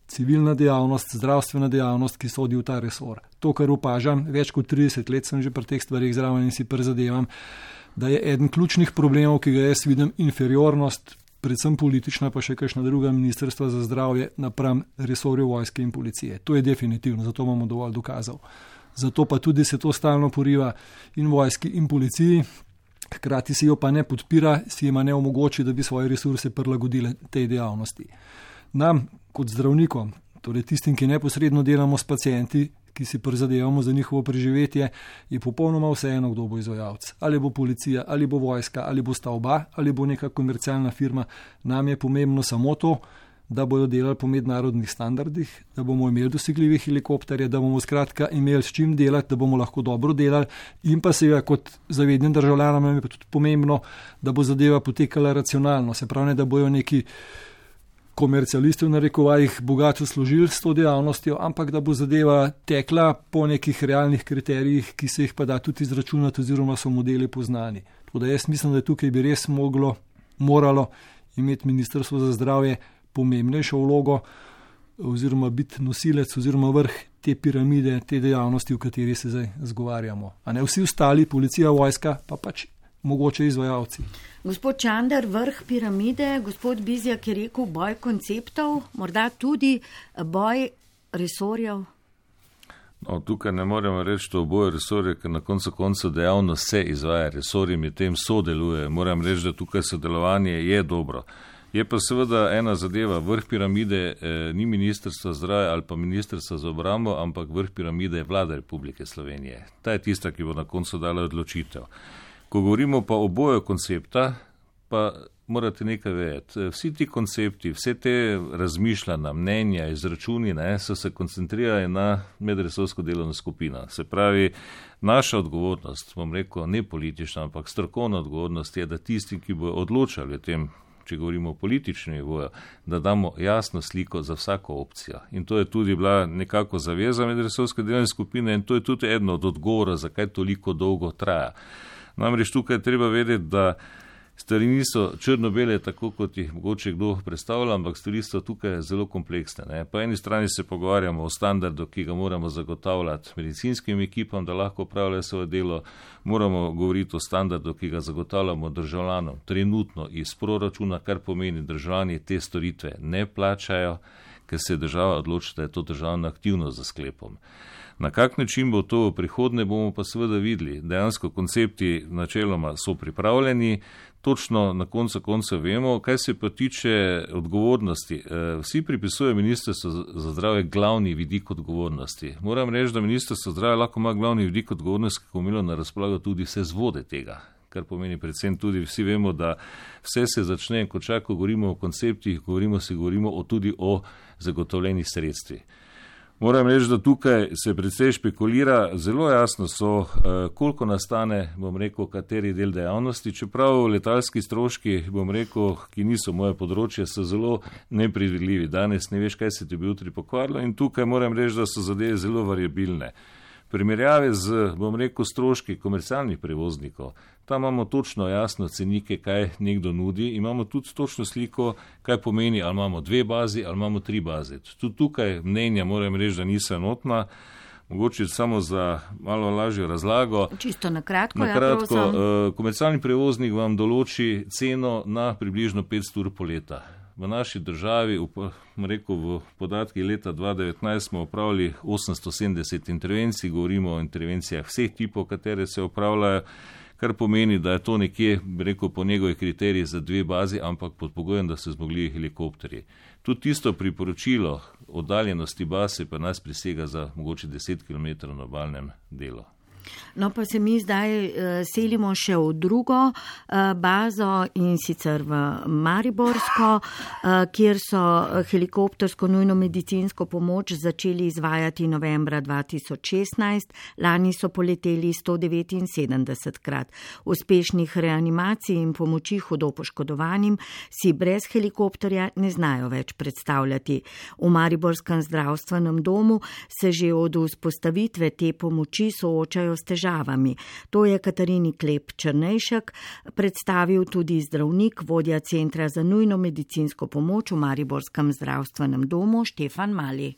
civilna dejavnost, zdravstvena dejavnost, ki sodi v ta resor. To, kar opažam, več kot trideset let sem že pri teh stvarih zraven in si prizadevam, da je eden ključnih problemov, ki ga jaz vidim, inferiornost, predvsem politična, pa še kakšna druga ministrstva za zdravje napram resorju vojske in policije. To je definitivno, zato imamo dovolj dokazov. Zato pa tudi se to stalno poriva in vojski in policiji, hkrati si jo pa ne podpira, si ima ne omogoči, da bi svoje resurse prilagodile tej dejavnosti. Nam, kot zdravnikom, torej tistim, ki neposredno delamo s pacienti, ki si prizadevamo za njihovo preživetje, je popolnoma vseeno, kdo bo izvajalec. Ali bo policija, ali bo vojska, ali bo sta oba, ali bo neka komercialna firma. Nam je pomembno samo to, da bodo delali po mednarodnih standardih, da bomo imeli dosegljive helikopterje, da bomo skratka imeli s čim delati, da bomo lahko dobro delali in pa seveda kot zavednim državljanom je pa tudi pomembno, da bo zadeva potekala racionalno, se pravi, ne, da bojo neki komercialisti v narekovajih bogato služili s to dejavnostjo, ampak da bo zadeva tekla po nekih realnih kriterijih, ki se jih pa da tudi izračunati oziroma so modeli poznani. Tako da jaz mislim, da tukaj bi res moglo, moralo imeti Ministrstvo za zdravje pomembnejšo vlogo oziroma biti nosilec oziroma vrh te piramide, te dejavnosti, v kateri se zdaj zgovarjamo. A ne vsi ostali, policija, vojska, pa pač mogoče izvajalci. Gospod Čander, vrh piramide, gospod Bizjak je rekel boj konceptov, morda tudi boj resorjev. No, tukaj ne moremo reči, da oboje resorje, ker na koncu konca dejavnost se izvaja, resorji med tem sodeluje. Moram reči, da tukaj sodelovanje je dobro. Je pa seveda ena zadeva, vrh piramide eh, ni Ministrstvo zdravja ali pa Ministrstvo za obrambo, ampak vrh piramide je Vlada Republike Slovenije. Ta je tista, ki bo na koncu dala odločitev. Ko govorimo pa oboje koncepta, pa morate nekaj vedeti. Vsi ti koncepti, vse te razmišljanja, mnenja, izračuni ne, so se koncentrirali na medresorsko delovno skupino. Se pravi, naša odgovornost, bom rekel, ne politična, ampak strokovna odgovornost je, da tisti, ki bodo odločali o tem, če govorimo o političnem nivoju, da damo jasno sliko za vsako opcijo. In to je tudi bila nekako zaveza medresorske delovne skupine in to je tudi eno od odgovora, zakaj toliko dolgo traja. Namreč tukaj je treba vedeti, da stvari niso črno-bele, tako kot jih mogoče kdo predstavlja, ampak stvari so tukaj zelo kompleksne. Ne. Po eni strani se pogovarjamo o standardu, ki ga moramo zagotavljati medicinskim ekipam, da lahko upravljajo svoje delo, moramo govoriti o standardu, ki ga zagotavljamo državljanom trenutno iz proračuna, kar pomeni, državljani te storitve ne plačajo, ker se država odloči, da je to državna aktivnost za sklepom. Na kak način bo to v prihodnje, bomo pa seveda videli. Dejansko koncepti načeloma so pripravljeni, točno na koncu konca vemo, kaj se pa tiče odgovornosti. Vsi pripisujejo Ministrstvo za zdravje glavni vidik odgovornosti. Moram reči, da Ministrstvo za zdravje lahko ima glavni vidik odgovornosti, kako imelo na razpolago tudi vse zvode tega. Kar pomeni predvsem tudi, vsi vemo, da vse se začne, ko čako govorimo o konceptih, govorimo se govorimo o, tudi o zagotovljenih sredstvih. Moram reči, da tukaj se precej špekulira, zelo jasno so, koliko nastane, bom rekel, kateri del dejavnosti, čeprav letalski stroški, bom rekel, ki niso moje področje, so zelo nepredvidljivi. Danes ne veš, kaj se ti bi jutri pokvarilo in tukaj moram reči, da so zadeve zelo variabilne. Primerjave z, bom rekel, stroški komercialnih prevoznikov, tam imamo točno jasno cenike, kaj nekdo nudi, imamo tudi točno sliko, kaj pomeni, ali imamo dve bazi, ali imamo tri baze. Tudi tukaj mnenja moram reči, da niso enotna, mogoče samo za malo lažjo razlago. Čisto na kratko, na kratko ja, uh, komercialni prevoznik vam določi ceno na približno petsto ur po leta. V naši državi, rekel, v podatkih leta dva tisoč devetnajst smo opravili osemsto sedemdeset intervencij, govorimo o intervencijah vseh tipov, katere se opravljajo, kar pomeni, da je to nekje, rekel, po njegovih kriterijih za dve bazi, ampak pod pogojem, da so zmogli helikopterji. Tudi tisto priporočilo oddaljenosti baz pa nas presega za mogoče deset kilometrov na obalnem delu. No, pa se mi zdaj uh, selimo še v drugo uh, bazo in sicer v Mariborsko, uh, kjer so helikoptersko nujno medicinsko pomoč začeli izvajati novembra dva tisoč šestnajst. Lani so poleteli sto devetinsedemdeset krat. Uspešnih reanimacij in pomoči hudo poškodovanim si brez helikopterja ne znajo več predstavljati. V Mariborskem zdravstvenem domu se že od vzpostavitve te pomoči soočajo s težavami. To je Katarini Klep Črnejšek predstavil tudi zdravnik, vodja Centra za nujno medicinsko pomoč v Mariborskem zdravstvenem domu Štefan Mali.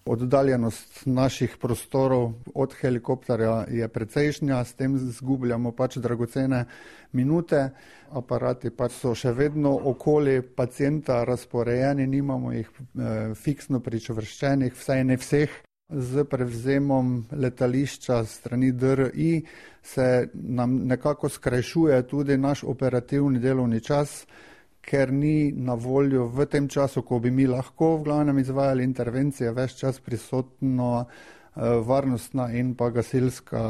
Oddaljenost naših prostorov od helikopterja je precejšnja, s tem zgubljamo pač dragocene minute. Aparati pač so še vedno okoli pacienta razporejeni, nimamo jih eh, fiksno pričvrščenih, vsaj ne vseh. Z prevzemom letališča strani D R I se nam nekako skrajšuje tudi naš operativni delovni čas, ker ni na voljo v tem času, ko bi mi lahko v glavnem izvajali intervencije, ves čas prisotno varnostna in pa gasilska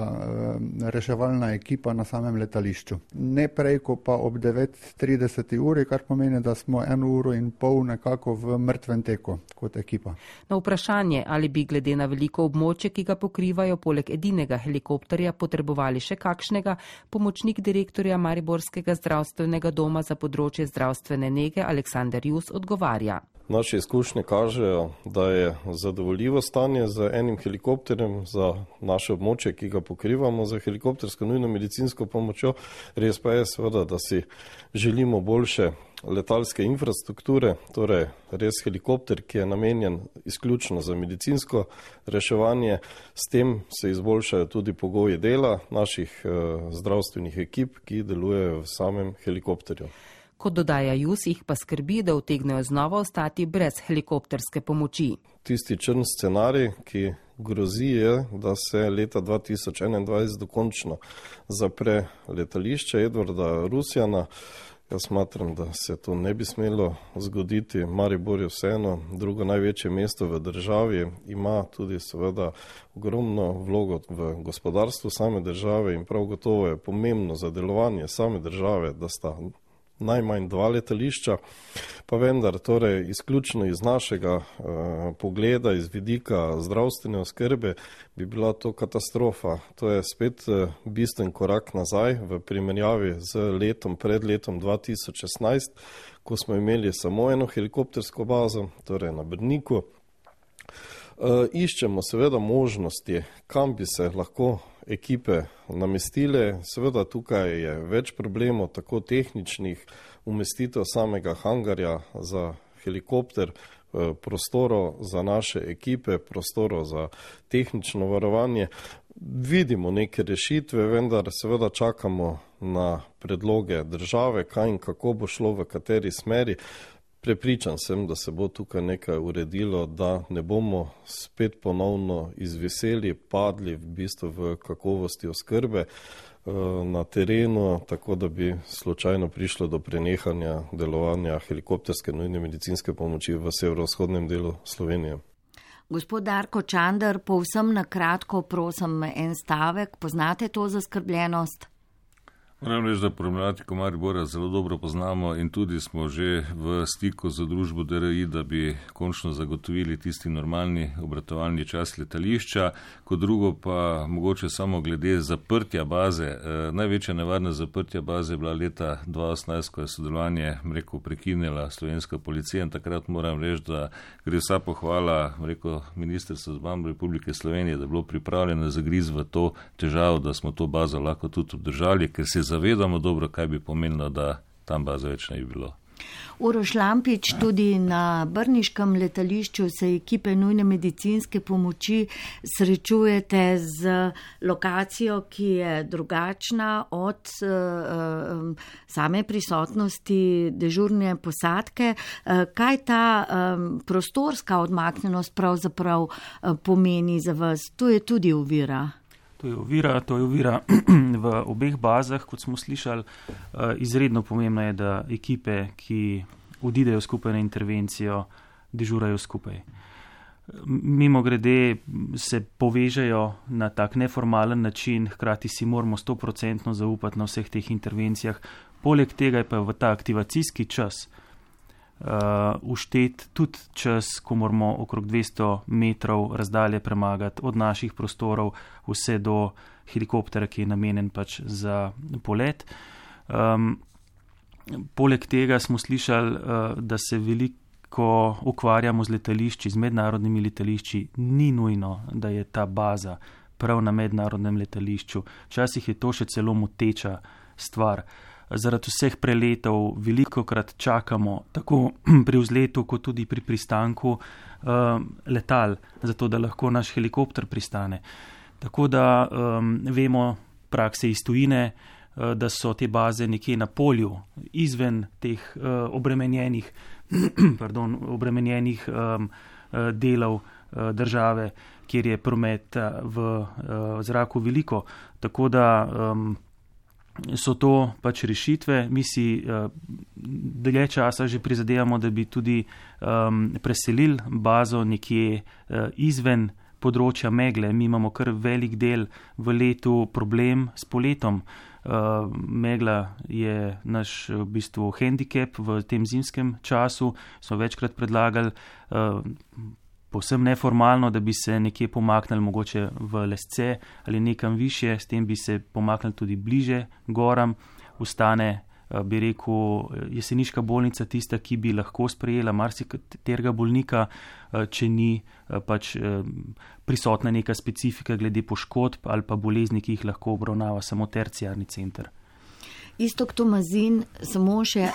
reševalna ekipa na samem letališču. Ne prej, ko pa ob devet trideset uri, kar pomeni, da smo eno uro in pol nekako v mrtvem teku kot ekipa. Na vprašanje, ali bi glede na veliko območje, ki ga pokrivajo, poleg edinega helikopterja potrebovali še kakšnega, pomočnik direktorja Mariborskega zdravstvenega doma za področje zdravstvene nege Aleksander Jus odgovarja. Naše izkušnje kažejo, da je zadovoljivo stanje z enim helikopterjem za naše območje, ki ga pokrivamo za helikoptersko nujno medicinsko pomočjo. Res pa je seveda, da si želimo boljše letalske infrastrukture, torej res helikopter, ki je namenjen izključno za medicinsko reševanje. S tem se izboljšajo tudi pogoji dela naših eh, zdravstvenih ekip, ki delujejo v samem helikopterju. Kot dodaja Jus, jih pa skrbi, da utegnejo znova ostati brez helikopterske pomoči. Tisti črn scenarij, ki grozi, je, da se leta dva tisoč enaindvajset dokončno zapre letališče Edvarda Rusjana. Jaz smatram, da se to ne bi smelo zgoditi. Maribor je vseeno drugo največje mesto v državi, ima tudi seveda ogromno vlogo v gospodarstvu same države in prav gotovo je pomembno za delovanje same države, da sta najmanj dva letališča, pa vendar torej izključno iz našega eh, pogleda, iz vidika zdravstvene oskrbe, bi bila to katastrofa. To je spet eh, bistven korak nazaj v primerjavi z letom pred letom dva tisoč šestnajst, ko smo imeli samo eno helikoptersko bazo, torej na Brniku. E, iščemo seveda možnosti, kam bi se lahko ekipe namestile. Seveda tukaj je več problemov, tako tehničnih, umestitev samega hangarja za helikopter, prostorov za naše ekipe, prostorov za tehnično varovanje. Vidimo neke rešitve, vendar seveda čakamo na predloge države, kaj in kako bo šlo, v kateri smeri. Prepričan sem, da se bo tukaj nekaj uredilo, da ne bomo spet ponovno izveseli, padli v bistvu v kakovosti oskrbe na terenu, tako da bi slučajno prišlo do prenehanja delovanja helikopterske nujne medicinske pomoči v severovzhodnem delu Slovenije. Gospod Darko Čander, povsem na kratko prosim en stavek, poznate to zaskrbljenost? Moram reči, da problematiko Maribora zelo dobro poznamo in tudi smo že v stiku z družbo D R I, da bi končno zagotovili tisti normalni obratovalni čas letališča. Kot drugo pa mogoče samo glede zaprtja baze. E, največja nevarna zaprtja baze je bila leta dva tisoč osemnajst, ko je sodelovanje, rekel, prekinila slovenska policija in takrat moram reči, da gre vsa pohvala, rekel, Ministrstvo za obrambo Republike Slovenije, da je bilo pripravljeno zagriz v to težavo, da smo to bazo lahko tudi obdržali, ker se zavedamo dobro, kaj bi pomenilo, da tam baze več ne bi bilo. Uroš Lampič, tudi na brniškem letališču se ekipe nujne medicinske pomoči srečujete z lokacijo, ki je drugačna od uh, same prisotnosti dežurne posadke. Uh, kaj ta um, prostorska odmaknjenost pravzaprav uh, pomeni za vas? To je tudi ovira. To je ovira, to je ovira v obeh bazah, kot smo slišali. Izredno pomembno je, da ekipe, ki odidejo skupaj na intervencijo, dežurajo skupaj. Mimo grede se povežejo na tak neformalen način, hkrati si moramo sto procentno zaupati na vseh teh intervencijah. Poleg tega je pa v ta aktivacijski čas uštet uh, tudi čas, ko moramo okrog dvesto metrov razdalje premagati od naših prostorov vse do helikoptera, ki je namenjen pač za polet. Um, poleg tega smo slišali, uh, da se veliko ukvarjamo z letališči, z mednarodnimi letališči. Ni nujno, da je ta baza prav na mednarodnem letališču. Včasih je to še celo moteča stvar. Zaradi vseh preletov velikokrat čakamo tako pri vzletu, kot tudi pri pristanku uh, letal, zato da lahko naš helikopter pristane. Tako da um, vemo prakse iz tujine, uh, da so te baze nekje na polju, izven teh uh, obremenjenih, pardon, obremenjenih um, uh, delov uh, države, kjer je prometa v uh, zraku veliko. Tako da um, so to pač rešitve. Mi si uh, dlje časa že prizadevamo, da bi tudi um, preselili bazo nekje uh, izven področja megle. Mi imamo kar velik del v letu problem s poletom. Uh, megla je naš v bistvu handicap v tem zimskem času. Smo večkrat predlagali uh, povsem neformalno, da bi se nekje pomaknili mogoče v lesce ali nekam više, s tem bi se pomaknili tudi bliže goram. Ustane, bi rekel, jeseniška bolnica tista, ki bi lahko sprejela marsikaterega bolnika, če ni pač prisotna neka specifika glede poškodb ali pa bolezni, ki jih lahko obravnava samo terciarni center. Iztok Tomazin, samo še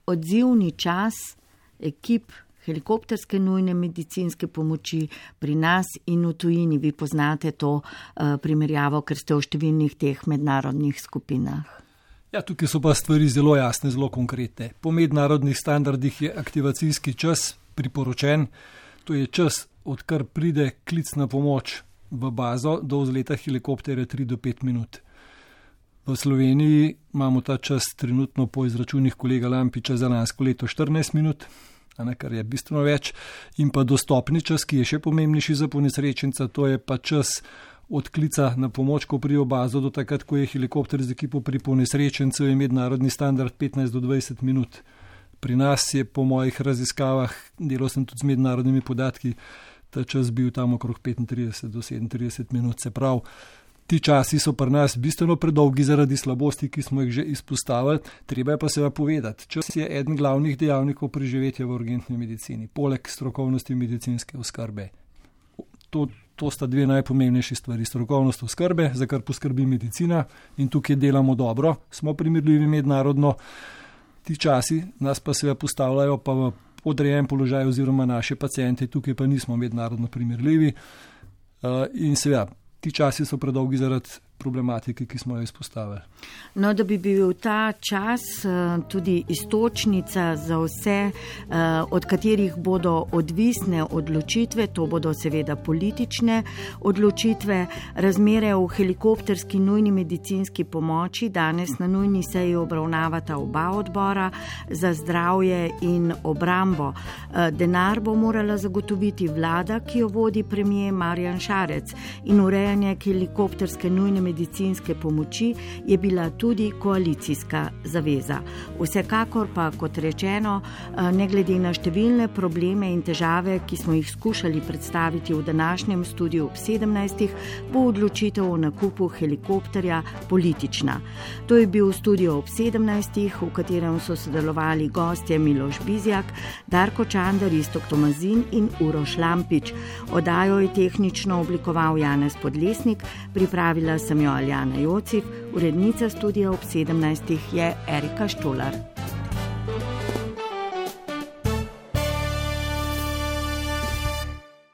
odzivni čas ekip helikopterske nujne medicinske pomoči pri nas in v tujini. Vi poznate to uh, primerjavo, ker ste v številnih teh mednarodnih skupinah. Ja, tukaj so pa stvari zelo jasne, zelo konkretne. Po mednarodnih standardih je aktivacijski čas priporočen. To je čas, odkar pride klic na pomoč v bazo, do vzleta helikopterja tri do pet minut. V Sloveniji imamo ta čas trenutno po izračunih kolega Lampiča za lansko leto štirinajst minut, kar je bistveno več, in pa dostopni čas, ki je še pomembnejši za ponesrečenca, to je pa čas od klica na pomoč, ko pride v bazo, do takrat, ko je helikopter z ekipo pri ponesrečencu, je mednarodni standard petnajst do dvajset minut. Pri nas je po mojih raziskavah, delal sem tudi z mednarodnimi podatki, ta čas bil tam okrog petintrideset do sedemintrideset minut, se pravi. Ti časi so pri nas bistveno predolgi zaradi slabosti, ki smo jih že izpostavili, treba je pa seveda povedati. Čas je eden glavnih dejavnikov preživetja v urgentni medicini, poleg strokovnosti medicinske oskrbe. To, to sta dve najpomembnejši stvari. Strokovnost oskrbe, za kar poskrbi medicina in tukaj delamo dobro, smo primerljivi mednarodno. Ti časi nas pa seveda postavljajo pa v podrejen položaj oziroma naše paciente, tukaj pa nismo mednarodno primerljivi uh, in seveda ti časi so predolgi zaradi problematike, ki smo jo izpostavili. No, da bi bil ta čas tudi istočnica za vse, od katerih bodo odvisne odločitve, to bodo seveda politične odločitve, razmere v helikopterski nujni medicinski pomoči. Danes na nujni seji obravnavata oba odbora za zdravje in obrambo. Denar bo morala zagotoviti vlada, ki jo vodi premier Marjan Šarec, in urejanje helikopterske nujne medicinske medicinske pomoči je bila tudi koalicijska zaveza. Vsekakor pa, kot rečeno, ne glede na številne probleme in težave, ki smo jih skušali predstaviti v današnjem studiu ob sedemnajstih, bo odločitev o nakupu helikopterja politična. To je bil studio ob sedemnajstih, v katerem so sodelovali gostje Miloš Bizjak, Darko Čander, Iztok Tomazin in Uroš Lampič. Oddajo je tehnično oblikoval Janez Podlesnik, pripravila sem jo Aljana Jocif, urednica studia ob sedemnajstih je Erika Štolar.